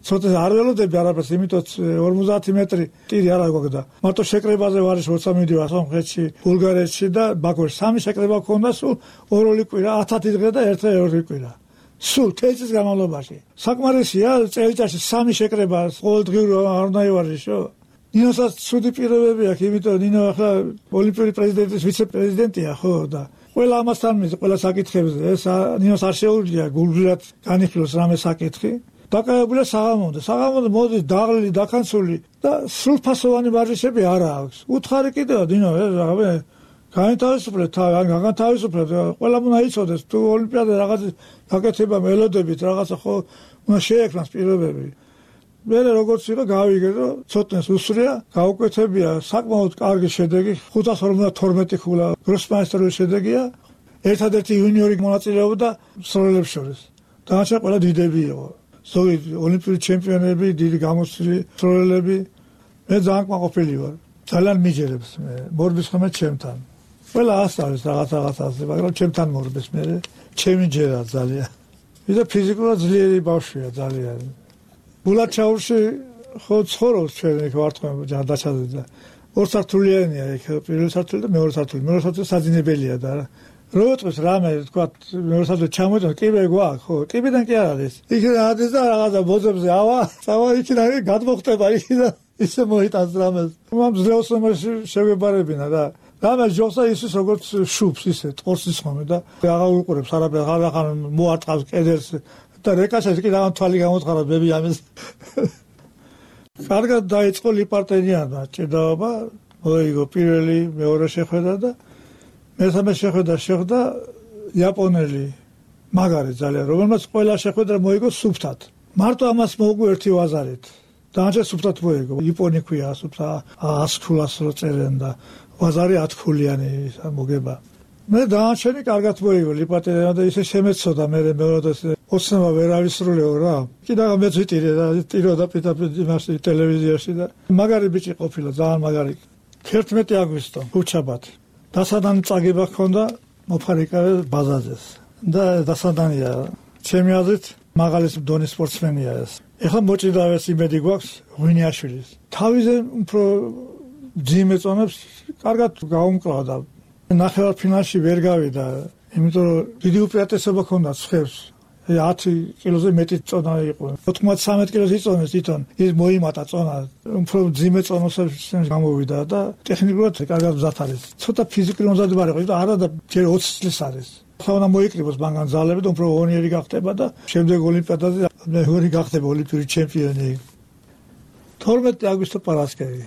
ცოტნე არ ველოდები არაფერს იმიტომ ორმოცდაათი მეტრი ტირი არ აგვაქვს მარტო შეკრებაზე ვარ როცა მიდივარ სომხეთში ბულგარეთში და ბაქოში სამი შეკრება ქონდა სულ ორ-ორი კვირა ათათი დღე და ერთ-ერთი ორი კვირა სულ თეცის განმავლობაში საკმარისია წელიწადში სამი შეკრება ყოველდღიურ არ უნდა ივარჯიშო ნინოსაც ცუდი პირობები აქვს იმიტომ ნინო ახლა ოლიმპიური პრეზიდენტის ვიცე-პრეზიდენტია ხო და ყველა ამასთან მის ყველა საკითხებზე ეს ნინოს არ შეუძლია გულგრილად განიხილოს რამე საკითხი დაკავებულია საღამომდე საღამომდე მოდის დაღლილი დაქანცული და სრულფასოვანი ვარჯიშები არ აქვს უთხარი კიდეა დინო ეს რაღაცა გაინტერესებდა თან განთავისუფლდა ყველა უნდა იცოდეს თუ ოლიმპიადა რაღაც გაკეთება მელოდებით რაღაცა ხო უნდა შეექმნას პირობები მე როგორც იყო გავიგე რომ ცოტნეს უსრია გაუკეთებია საკმაოდ კარგი შედეგი ხუთას ორმოცდათორმეტი ქულა გროსმაისტერის შედეგია ერთადერთი იუნიორი მონაწილეობდა სროლებს შორის დანარჩენი ყველა დიდები იყო ზოგი ოლიმპიური ჩემპიონები დიდი გამოსვლილი სროლელები მე ძალიან კმაყოფილი ვარ ძალიან მიჯერებს მე მორბის ხომ ჩემთან ყველა ასწავლის რაღაც რაღაცაზე მაგრამ ჩემთან მორბეს მე ჩემი ჯერა ძალიან იდა ფიზიკურად ძლიერი ბავშვია ძალიან. ბულაჩაურში ხო ცხოვრობს ჩვენ იქ ვარტყმ ჯანდაცაზე და ორ სართულიანია იქ პირველი სართული და მეორე სართული. მეორე სართული საძინებელია და რო უტყვის რამე თქვა მეორე სართული ჩამოიტანო კიბე გვაქვს ხო კიბიდან კი არ არის. იქ ადის და რაღაცა ბოძებზე ავა, სავა იქიდან გადმოხტება იქიდან ისე მოიტანს რამეს. მამ ძლევსმოში შევებარებინა და რამე ჯოსა ისის როგორც შუბს ისე ტყორს ისხომე და აღარ უყურებს არაფერს აღარ მოარტყავს კედელს და რეკაშას კი რაღაც თვალი გამოთხარა ბები ამის. კარგად დაიწყო ლიპარტენიანმა ჭიდაობა, მოიგო პირველი, მეორე შეხვედრა და მესამე შეხვედრა შეხვდა იაპონელი მაგარი ძალიან, რომელმაც ყველა შეხვედრა მოიგო სუფთად. მარტო ამას მოუგო ერთი ვაზარით. დაანჩა სუფთად მოიგო. იაპონი ქვია სუფთა ას ქულას რო წერენ და ვაზარი ათ ქულიანი მოგება. მე დაანჩენი კარგად მოიგო ლიპარტენიანმა და ისე შემეცოდა მე მეორადაც ოცნება ვერ ავისრულეო რა. კიდევ მეც ვიტირე და ტიროდა პიტაპიტ იმაში ტელევიზიაში და მაგარი ბიჭი ყოფილა, ძალიან მაგარი. თერთმეტი აგვისტო, უჩაბათი. დასადანი წაგება ჰქონდა მოფარიკავე ბაზაზეს და დასადანია ჩემი აზრით მაღალი დონის სპორტსმენია ეს. ეხლა მოჭიდავეს იმედი გვაქვს ღვინიაშვილის. თავიზე უფრო ძიმე წონებს კარგად გაუმკლავდა. ნახევარფინალში ვერ გავიდა, იმიტომ რომ დიდი უპირატესობა ჰქონდა ცხებს. ათი კილოზე მეტი წონა იყო. ოთხმოცდამეტ კილოზე იწონეს თვითონ. ის მოიმატა წონა. უფრო ძიმე წონოსებს გამოვიდა და ტექნიკურად კარგად მზად არის. ცოტა ფიზიკური მომზადება იყო, იმიტომ არა და ჯერ ოცი წლის არის. ხა უნდა მოიკრიბოს მაგან ძალები და უფრო ონიერი გახდება და შემდეგ ოლიმპიადაზე მეორე გახდება ოლიმპიური ჩემპიონი. თორმეტი აგვისტო პარასკევი.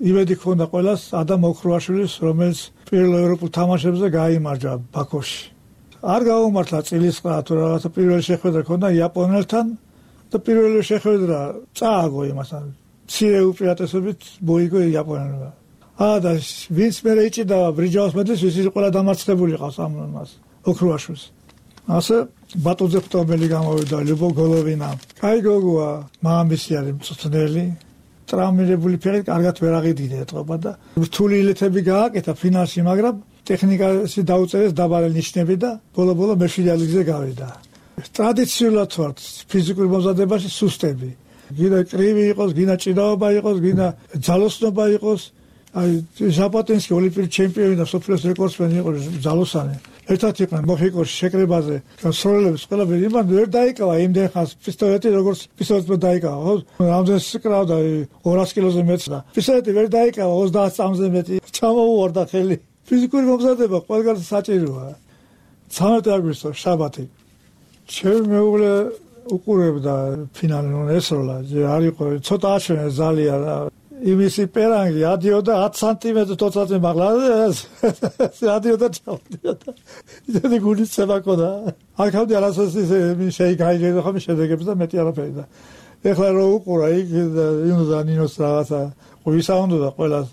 იმედი ჰქონდა ყველას ადამ ოქროაშვილის, რომელიც პირველ ევროპულ თამაშებზე გაიმარჯვა ბაქოში. არ გაუმართლა წილისყრა თუ რაღაცა პირველი შეხვედრა ჰქონდა იაპონელთან და პირველი შეხვედრა წააგო იმასთან. მცირე უპირატესობით მოიგო იაპონელმა. აა და ვინც მერე იჭიდა ბრიჯაოს მედლის, ის ყველა დამარცხებული ყავს ამ მას ოქროაშვილს. ასე ბატონზე ფტომელი გამოვიდა ლიუბო გოლოვინა. კაი გოგოა, მამამისი არის მწვრთნელი. ტრამირებული ფერი კარგად ვერ აღიდგინე ეთყობა და რთული ილეთები გააკეთა ფინალში, მაგრამ ტექნიკაში დაუწერეს დაბალი ნიშნები და ბოლო-ბოლო მეშვიდე ადგილზე გავიდა. ტრადიციულად ვართ ფიზიკური მომზადებაში სუსტები. გინდა კრივი იყოს, გინდა ჭიდაობა იყოს, გინდა ძალოსნობა იყოს. აი ჟაპატინსკი ოლიმპიური ჩემპიონი და სოფლის რეკორდსმენი იყო ძალოსანი. ერთად იყვნენ მოხიკოში შეკრებაზე, სროლელებს ყველაფერი იმან ვერ დაიკავა იმდენ ხანს პისტოლეტი როგორც პისტოლეტმა დაიკავა, ხო? რამდენს კრავდა ორასი კილოზე მეტს და პისტოლეტი ვერ დაიკავა ოცდაათ წამზე მეტი. ჩამოუვარდა ხელი. ფიზიკური მომზადება ყველგან საჭიროა. ცამეტი აგვისტო შაბათი. ჩემი მეუღლე უყურებდა ფინალი ესროლა, არ იყო ცოტა აჩვენე ძალიან იმისი პერანგი ადიოდა ათი სანტიმეტრი თოთაცე მაღლა ადიოდა ჩავდიოდა ისეთი გულისცემა ქონდა აქამდე არასოდეს ისე შეიგაიგებდა ხომ შედეგებს და მეტი არაფერი და ეხლა რო უყურა იქ იმდა ნინოს რაღაცა ვისაუნდო და ყველას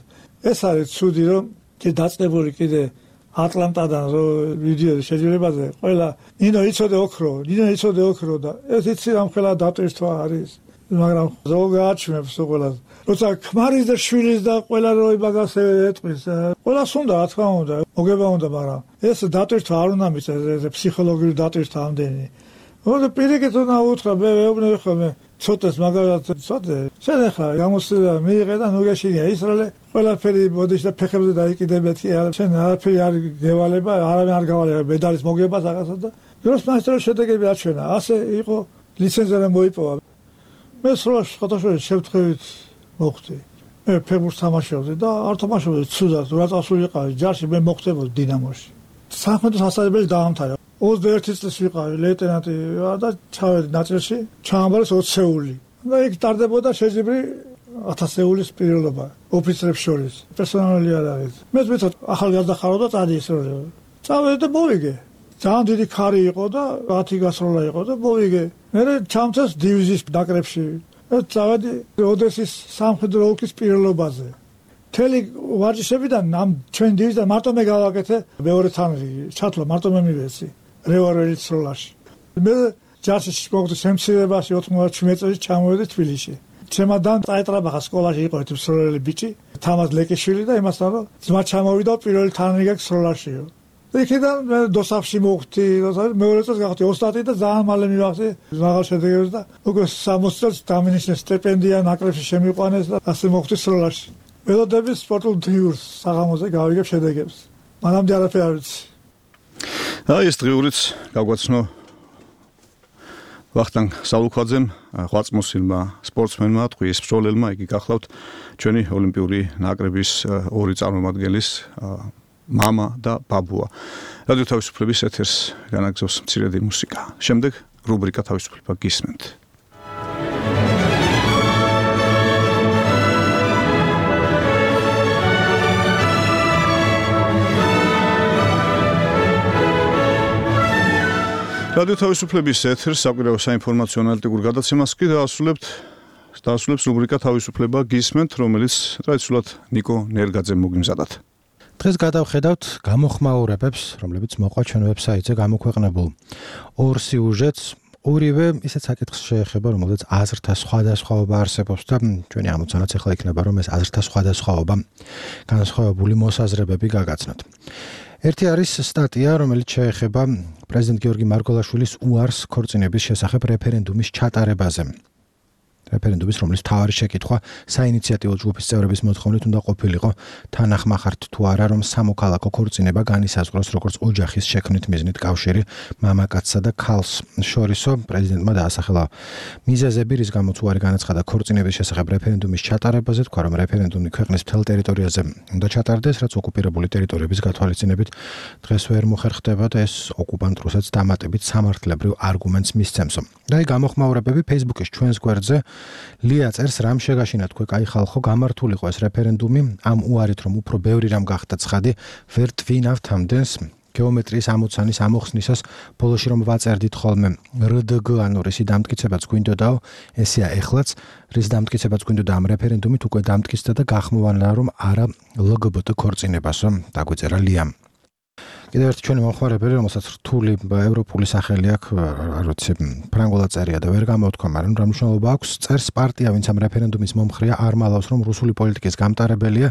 ეს არის ცუდი რომ კი დაწყებული კიდე ატლანტადან რო ვიდეო შეჯიბრებაზე ყველა ნინო იცოდე ოქრო ნინო იცოდე ოქრო და ეს იცი რამ ხელა დატვირთვა არის მაგრამ ზოგაჩმებს ყველას როცა ქმარის და შვილის და ყველა რო იმაგას ეტყვის ყველას უნდა რა თქმა უნდა მოგება უნდა მაგრამ ეს დატვირთვა არ უნდა მიწეს ეს ფსიქოლოგიური დატვირთვა ამდენი მოდი პირიქით უნდა უთხრა მე ვეუბნები ხოლმე ცოტას მაგალითად ცოტა შენ ახლა გამოსვლა მიიღე და ნუ გაშინია ისრაელე ყველაფერი მოდიშ და ფეხებზე დაიკიდებეთი შენ არაფერი არ გევალება არავინ არ გავალება მედალის მოგება რაღაცა და დროს მასტრო შედეგები აჩვენა ასე იყო ლიცენზია მოიპოვა მე სრულ შეხოთაშორი შევთხევით მოხდი მე ფეხბურთს თამაშობდი და არ თამაშობდი ცუდად რა წასულიყავი ჯარში მე მოხდებოდი დინამოში სამხედრო სასწავლებელი დაამთავრა ოცდაერთი წლის ვიყავი ლეიტენანტი და ჩავედი ნაწილში ჩაამბარეს ოცი სეული და იქ ტარდებოდა შეჯიბრი ათას სეულის პირილობა ოფიცრებს შორის პერსონალი არ არის მე ვეცოთ ახალგაზრდა ხარო და წადი ისროლე წავედი და მოვიგე ძალიან დიდი ქარი იყო და ათი გასროლა იყო და მოვიგე მე ჩამწეს დივიზიის ნაკრებში და წავედი ოდესის სამხედრო ოლქის პირილობაზე თელი ვარჯიშებიდან ამ ჩვენ დივიზიიდან მარტო მე გავაკეთე მეორე თანხი ჩათვლა მარტო მე მივეცი რევოლვერის სროლაში მე ჯარში მოვდი შემცირებაში ოთხმოცდაშვიდ წელს ჩამოვედი თბილისში ჩემადან წაეტრაბახა სკოლაში იყო ერთი სროლელი ბიჭი თამაზ ლეკიშვილი და იმასთან რომ ძმა ჩამოვიდა პირველი თანხი გაქვს სროლაშიო იქიდან დოსაფში მოვხდი, მეორე წელს გავხდი ოსტატი და ძალიან მალე მივახდი მაღალ შედეგებს და უკვე სამოცი წელს დამინიშნეს სტიპენდია ნაკრებში შემიყვანეს და ასე მოვხდი სროლაში. ველოდების სპორტულ დღიურს საღამოზე გავიგებ შედეგებს. მანამდე არაფერი არ ვიცი. აი ეს დღიურიც გავგვაცნო ვახტანგ სალუქვაძემ, ღვაწმოსილმა სპორტსმენმა, ტყუის მსროლელმა, იგი გახლავთ ჩვენი ოლიმპიური ნაკრების ორი წარმომადგენლის მამა და ბაბუა. რადიო თავისუფლების ეთერს განაგზავს მცირედი მუსიკა. შემდეგ რუბრიკა თავისუფლება გისმენთ. რადიო თავისუფლების ეთერს საკვირაო საინფორმაციო ანალიტიკურ გადაცემას კი დაასრულებთ. დაასრულებს რუბრიკა თავისუფლება გისმენთ, რომელიც ტრადიციულად ნიკო ნერგაძემ მოგიმზადათ. დღეს გადავხედავთ გამოხმაურებებს, რომლებიც მოყვა ჩვენ ვებსაიტზე გამოქვეყნებულ ორ სიუჟეტს. ორივე ისეთ საკითხს შეეხება, რომელზეც აზრთა სხვადასხვაობა არსებობს და ჩვენი ამოცანაც ახლა იქნება, რომ ეს აზრთა სხვადასხვაობა განსხვავებული მოსაზრებები გაგაცნოთ. ერთი არის სტატია, რომელიც შეეხება პრეზიდენტ გიორგი მარგველაშვილის უარს ქორწინების შესახებ რეფერენდუმის ჩატარებაზე. რეფერენდუმის, რომლის მთავარი შეკითხვა საინიციატივო ჯგუფის წევრების მოთხოვნით უნდა ყოფილიყო თანახმახართ თუ არა, რომ სამოქალაქო ქორწინება განისაზღვროს როგორც ოჯახის შექმნით მიზნით კავშირი მამაკაცსა და ქალს შორისო. პრეზიდენტმა დაასახელა მიზეზები, რის გამოც უარი განაცხადა ქორწინების შესახებ რეფერენდუმის ჩატარებაზე, თქვა, რომ რეფერენდუმი ქვეყნის მთელ ტერიტორიაზე უნდა ჩატარდეს, რაც ოკუპირებული ტერიტორიების გათვალისწინებით დღეს ვერ მოხერხდება და ეს ოკუპანტ რუსეთს დამატებით სამართლებრივ არგუმენტს მისცემსო. და აი გამოხმაურებები Facebook-ის ჩვენს გვერდზე ლია წერს, რამ შეგაშინა თქვენ, კაი ხალხო, გამართულიყო ეს რეფერენდუმი, ამ უარით რომ უფრო ბევრი რამ გახდა ცხადი, ვერ twinavt ამდენს გეომეტრიის ამოცანის ამოხსნისას, ბოლოში რომ ვაწერდით ხოლმე რდგ, ანუ რისი დამტკიცებაც გვინდოდაო, ესეა ეხლაც, რის დამტკიცებაც გვინდოდა ამ რეფერენდუმით, უკვე დამტკიცდა და გახმოვანა რომ არა ლგბტ ქორწინებასო, დაგვეწერა ლიამ. კიდევ ერთი ჩვენი მომხმარებელი, რომელსაც რთული ევროპული სახელი აქვს, არ ვიცი, ფრანგულად წერია და ვერ გამოვთქვა, მაგრამ რა მნიშვნელობა აქვს, წერს პარტია, ვინც ამ რეფერენდუმის მომხრეა, არ მალავს, რომ რუსული პოლიტიკის გამტარებელია,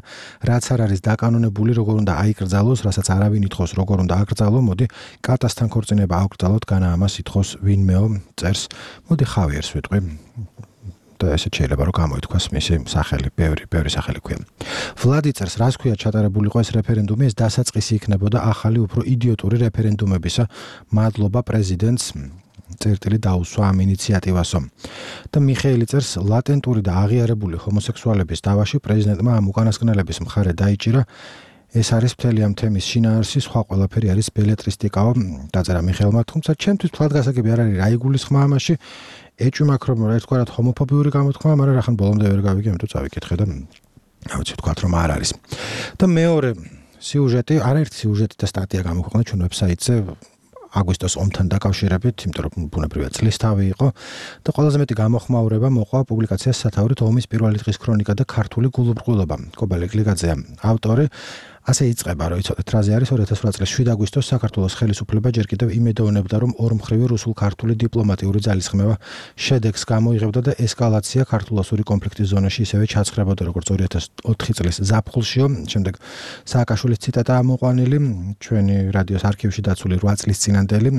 რაც არ არის დაკანონებული, როგორ უნდა აიკრძალოს, რასაც არავინ ითხოვს, როგორ უნდა აკრძალო, მოდი კატასთან ქორწინება აუკრძალოთ, განა ამას ითხოვს ვინმეო, წერს, მოდი ხავიერს ვიტყვი. და ესე შეიძლება რომ გამოითქვას მისი სახელი, ბევრი, ბევრი სახელი ქვია. ვლადი წერს, რას ქვია ჩატარებულიყო ეს რეფერენდუმი, ეს დასაწყისი იქნებოდა ახალი უფრო იდიოტური რეფერენდუმებისა. მადლობა პრეზიდენტს, წერტილი დაუსვა ამ ინიციატივასო. და მიხეილი წერს, ლატენტური და აღიარებული ჰომოსექსუალების დავაში პრეზიდენტმა ამ უკანასკნელების მხარე დაიჭირა. ეს არის მთელი ამ თემის შინაარსი, სხვა ყველაფერი არის ბელეტრისტიკაო, დაწერა მიხეილმა, თუმცა ჩემთვის თვალ გასაგები არ არის, რა იგულისხმა ამაში. ეჭვმაქ რომ ერთგვარად ჰომოფობიური გამოთქმა, მაგრამ რახან ბოლომდე ვერ გავიგე, ამიტომ წავიკითხე და რა ვიცი ვთქვათ რომ არ არის. და მეორე სიუჟეტი, არაერთი სიუჟეტი და სტატია გამოქვეყნა ჩვენ ვებსაიტზე აგვისტოს ომთან დაკავშირებით, იმიტომ რომ ბუნებრივია წლის თავი იყო და ყველაზე მეტი გამოხმაურება მოყვა პუბლიკაციას სათაურით ომის პირველი დღის ქრონიკა და ქართული გულუბრყვილობა. კობალე გლიგაძეა ავტორი. ასე იწყება, რომ იცოდეთ, რაზე არის ორი ათას ოთხ წლის შვიდ აგვისტოს საქართველოს ხელისუფლება ჯერ კიდევ იმედოვნებდა, რომ ორმხრივი რუსულ-ქართული დიპლომატიური ძალისხმევა შედეგს გამოიღებდა და ესკალაცია ქართულ-ოსური კონფლიქტის ზონაში ისევე ჩაცხრებოდა, როგორც ორი ათას ოთხი წლის ზაფხულშიო. შემდეგ სააკაშვილის ციტატა ამოყვანილი, ჩვენი რადიოს არქივში დაცული რვა წლის წინანდელი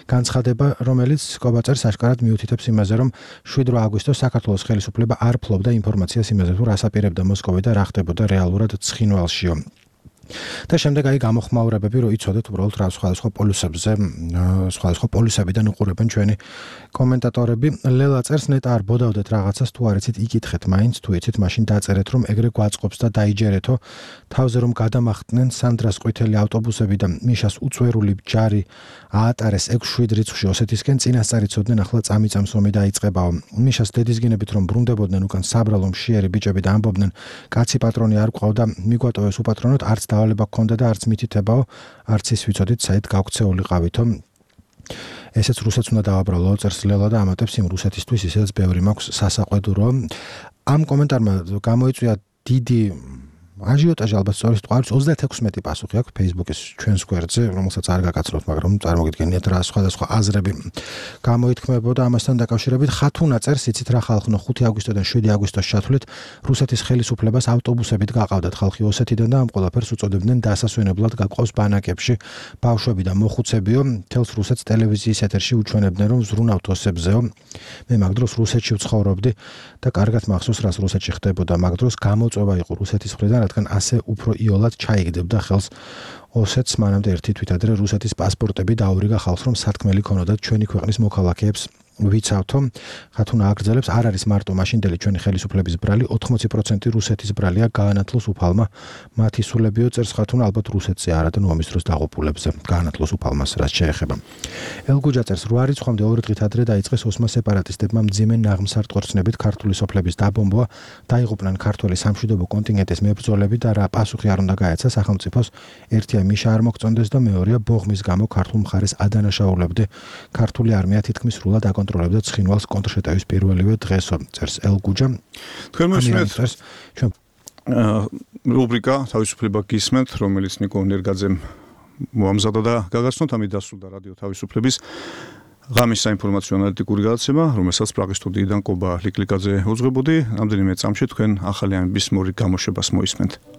განცხადება, რომელიც კობაწერს აშკარად მიუთითებს იმაზე, რომ შვიდ აგვისტოს საქართველოს ხელისუფლება არ ფლობდა ინფორმაციას იმაზე, თუ რას აპირებდა მოსკოვი და რა ხდებოდა რეალურად ცხინვალშიო. და შემდეგ აი გამოხმაურებები, რომ იცოდეთ უბრალოდ რა სხვადასხვა პოლუსებზე, სხვადასხვა პოლუსებიდან უყურებენ ჩვენი კომენტატორები. ლელა წერს, ნეტა არ ბოდავდეთ რაღაცას, თუ არ იცით იკითხეთ მაინც, თუ იცით, მაშინ დაწერეთ, რომ ეგრე გვაწყობს და დაიჯერეთო. თავზე რომ გადამახტნენ სანდრას ყვითელი ავტობუსები და მიშას უწვერული ჯარი აატარეს ექვს შვიდ რიცხვში ოსეთისკენ, წინასწარ იცოდნენ, ახლა წამიწამს ომი დაიწყებაო. მიშას დედისგინებით რომ ბრუნდებოდნენ უკან საბრალო მშიერი ბიჭები და ამბობდნენ, კაცი პატრონი არ გვყავდა, მიგვატოვეს უპატრონოდ, არც დავალება გქონდა და არც მითითებაო, არც ის ვიცოდით, საით გავქცეულიყავითო. ესეც რუსეთს უნდა დავაბრალო, წერს ლელა და ამატებს, იმ რუსეთისთვის ისედაც ბევრი მაქვს სასაყვედურო. ამ კომენტარმა გამოიწვია დიდი აჟიოტაჟი ალბათ სწორედ თყვარს ოცდაექვსი პასუხი აქვს Facebook-ის ჩვენს გვერდზე, რომელსაც არ გაგაცნობთ, მაგრამ წარმოგიდგენიათ რა სხვადასხვა აზრები გამოითქმებოდა ამასთან დაკავშირებით. ხათუნა წერს, იცით რა ხალხნო, ხუთი აგვისტოდან შვიდი აგვისტოს ჩათვლით რუსეთის ხელისუფლებას ავტობუსებით გაყავდათ ხალხი ოსეთიდან და ამ ყველაფერს უწოდებდნენ დასასვენებლად გაყავს ბანაკებში ბავშვები და მოხუცებიო. თელს რუსეთს ტელევიზიის ეთერში უჩვენებდნენ, რომ ზრუნავთ ოსებზეო. მე მაგ დროს რუსეთში ვცხოვრობდი და კარგად მახსოვს, რას რუსეთში ხდებოდა. მაგ დროს გამოწვევა იყო რუსეთის მხრიდან, რადგან ასე უფრო იოლად ჩაიგდებდა ხელს ოსეთს. მანამდე ერთი თვით ადრე რუსეთის პასპორტები დაურიგა ხალხს, რომ სათქმელი ქონოდათ ჩვენი ქვეყნის მოქალაქეებს ვიცავთო. ხათუნა აგრძელებს, არ არის მარტო მაშინდელი ჩვენი ხელისუფლების ბრალი, ოთხმოცი პროცენტი რუსეთის ბრალია გაანათლოს უფალმა. მათი სულებიო, წერს ხათუნა, ალბათ რუსეთზე არადან ომის დროს დაღუპულებზე გაანათლოს უფალმას რაც შეეხება. ელგუჯა წერს, რვა რიცხვამდე ორი დღით ადრე დაიწყეს ოსმა სეპარატისტებმა მძიმე ნაღმსარწყორცნებით ქართული სოფლების დაბომბვა, დაიღუპნენ ქართველი სამშვიდობო კონტინგენტის მებრძოლები და რა პასუხი არ უნდა გაეცა სახელმწიფოს. ერთია მიშა არ მოგწონდეს და მეორეა ბოღმის გამო ქართულ მხარეს ადანაშაულებდა. ქართული არმია თითქმის სრულად აკონტროლებდა ცხინვალს კონტრშეტევის პირველივე დღესო, წერს ელგუჯა. თქვენ მოსმენთ ჩვენ რუბრიკა თავისუფლება გისმენთ, რომელიც ნიკო ნერგაძემ მოამზადა და გაგაცნოთ. ამით დასრულდა რადიო თავისუფლების ღამის საინფორმაციო ანალიტიკური გადაცემა, რომელსაც პრაღის სტუდიიდან კობა ლიკლიკაძე უძღვებოდი. რამდენიმე წამში თქვენ ახალი ამბის მორი გამოშვებას მოისმენთ.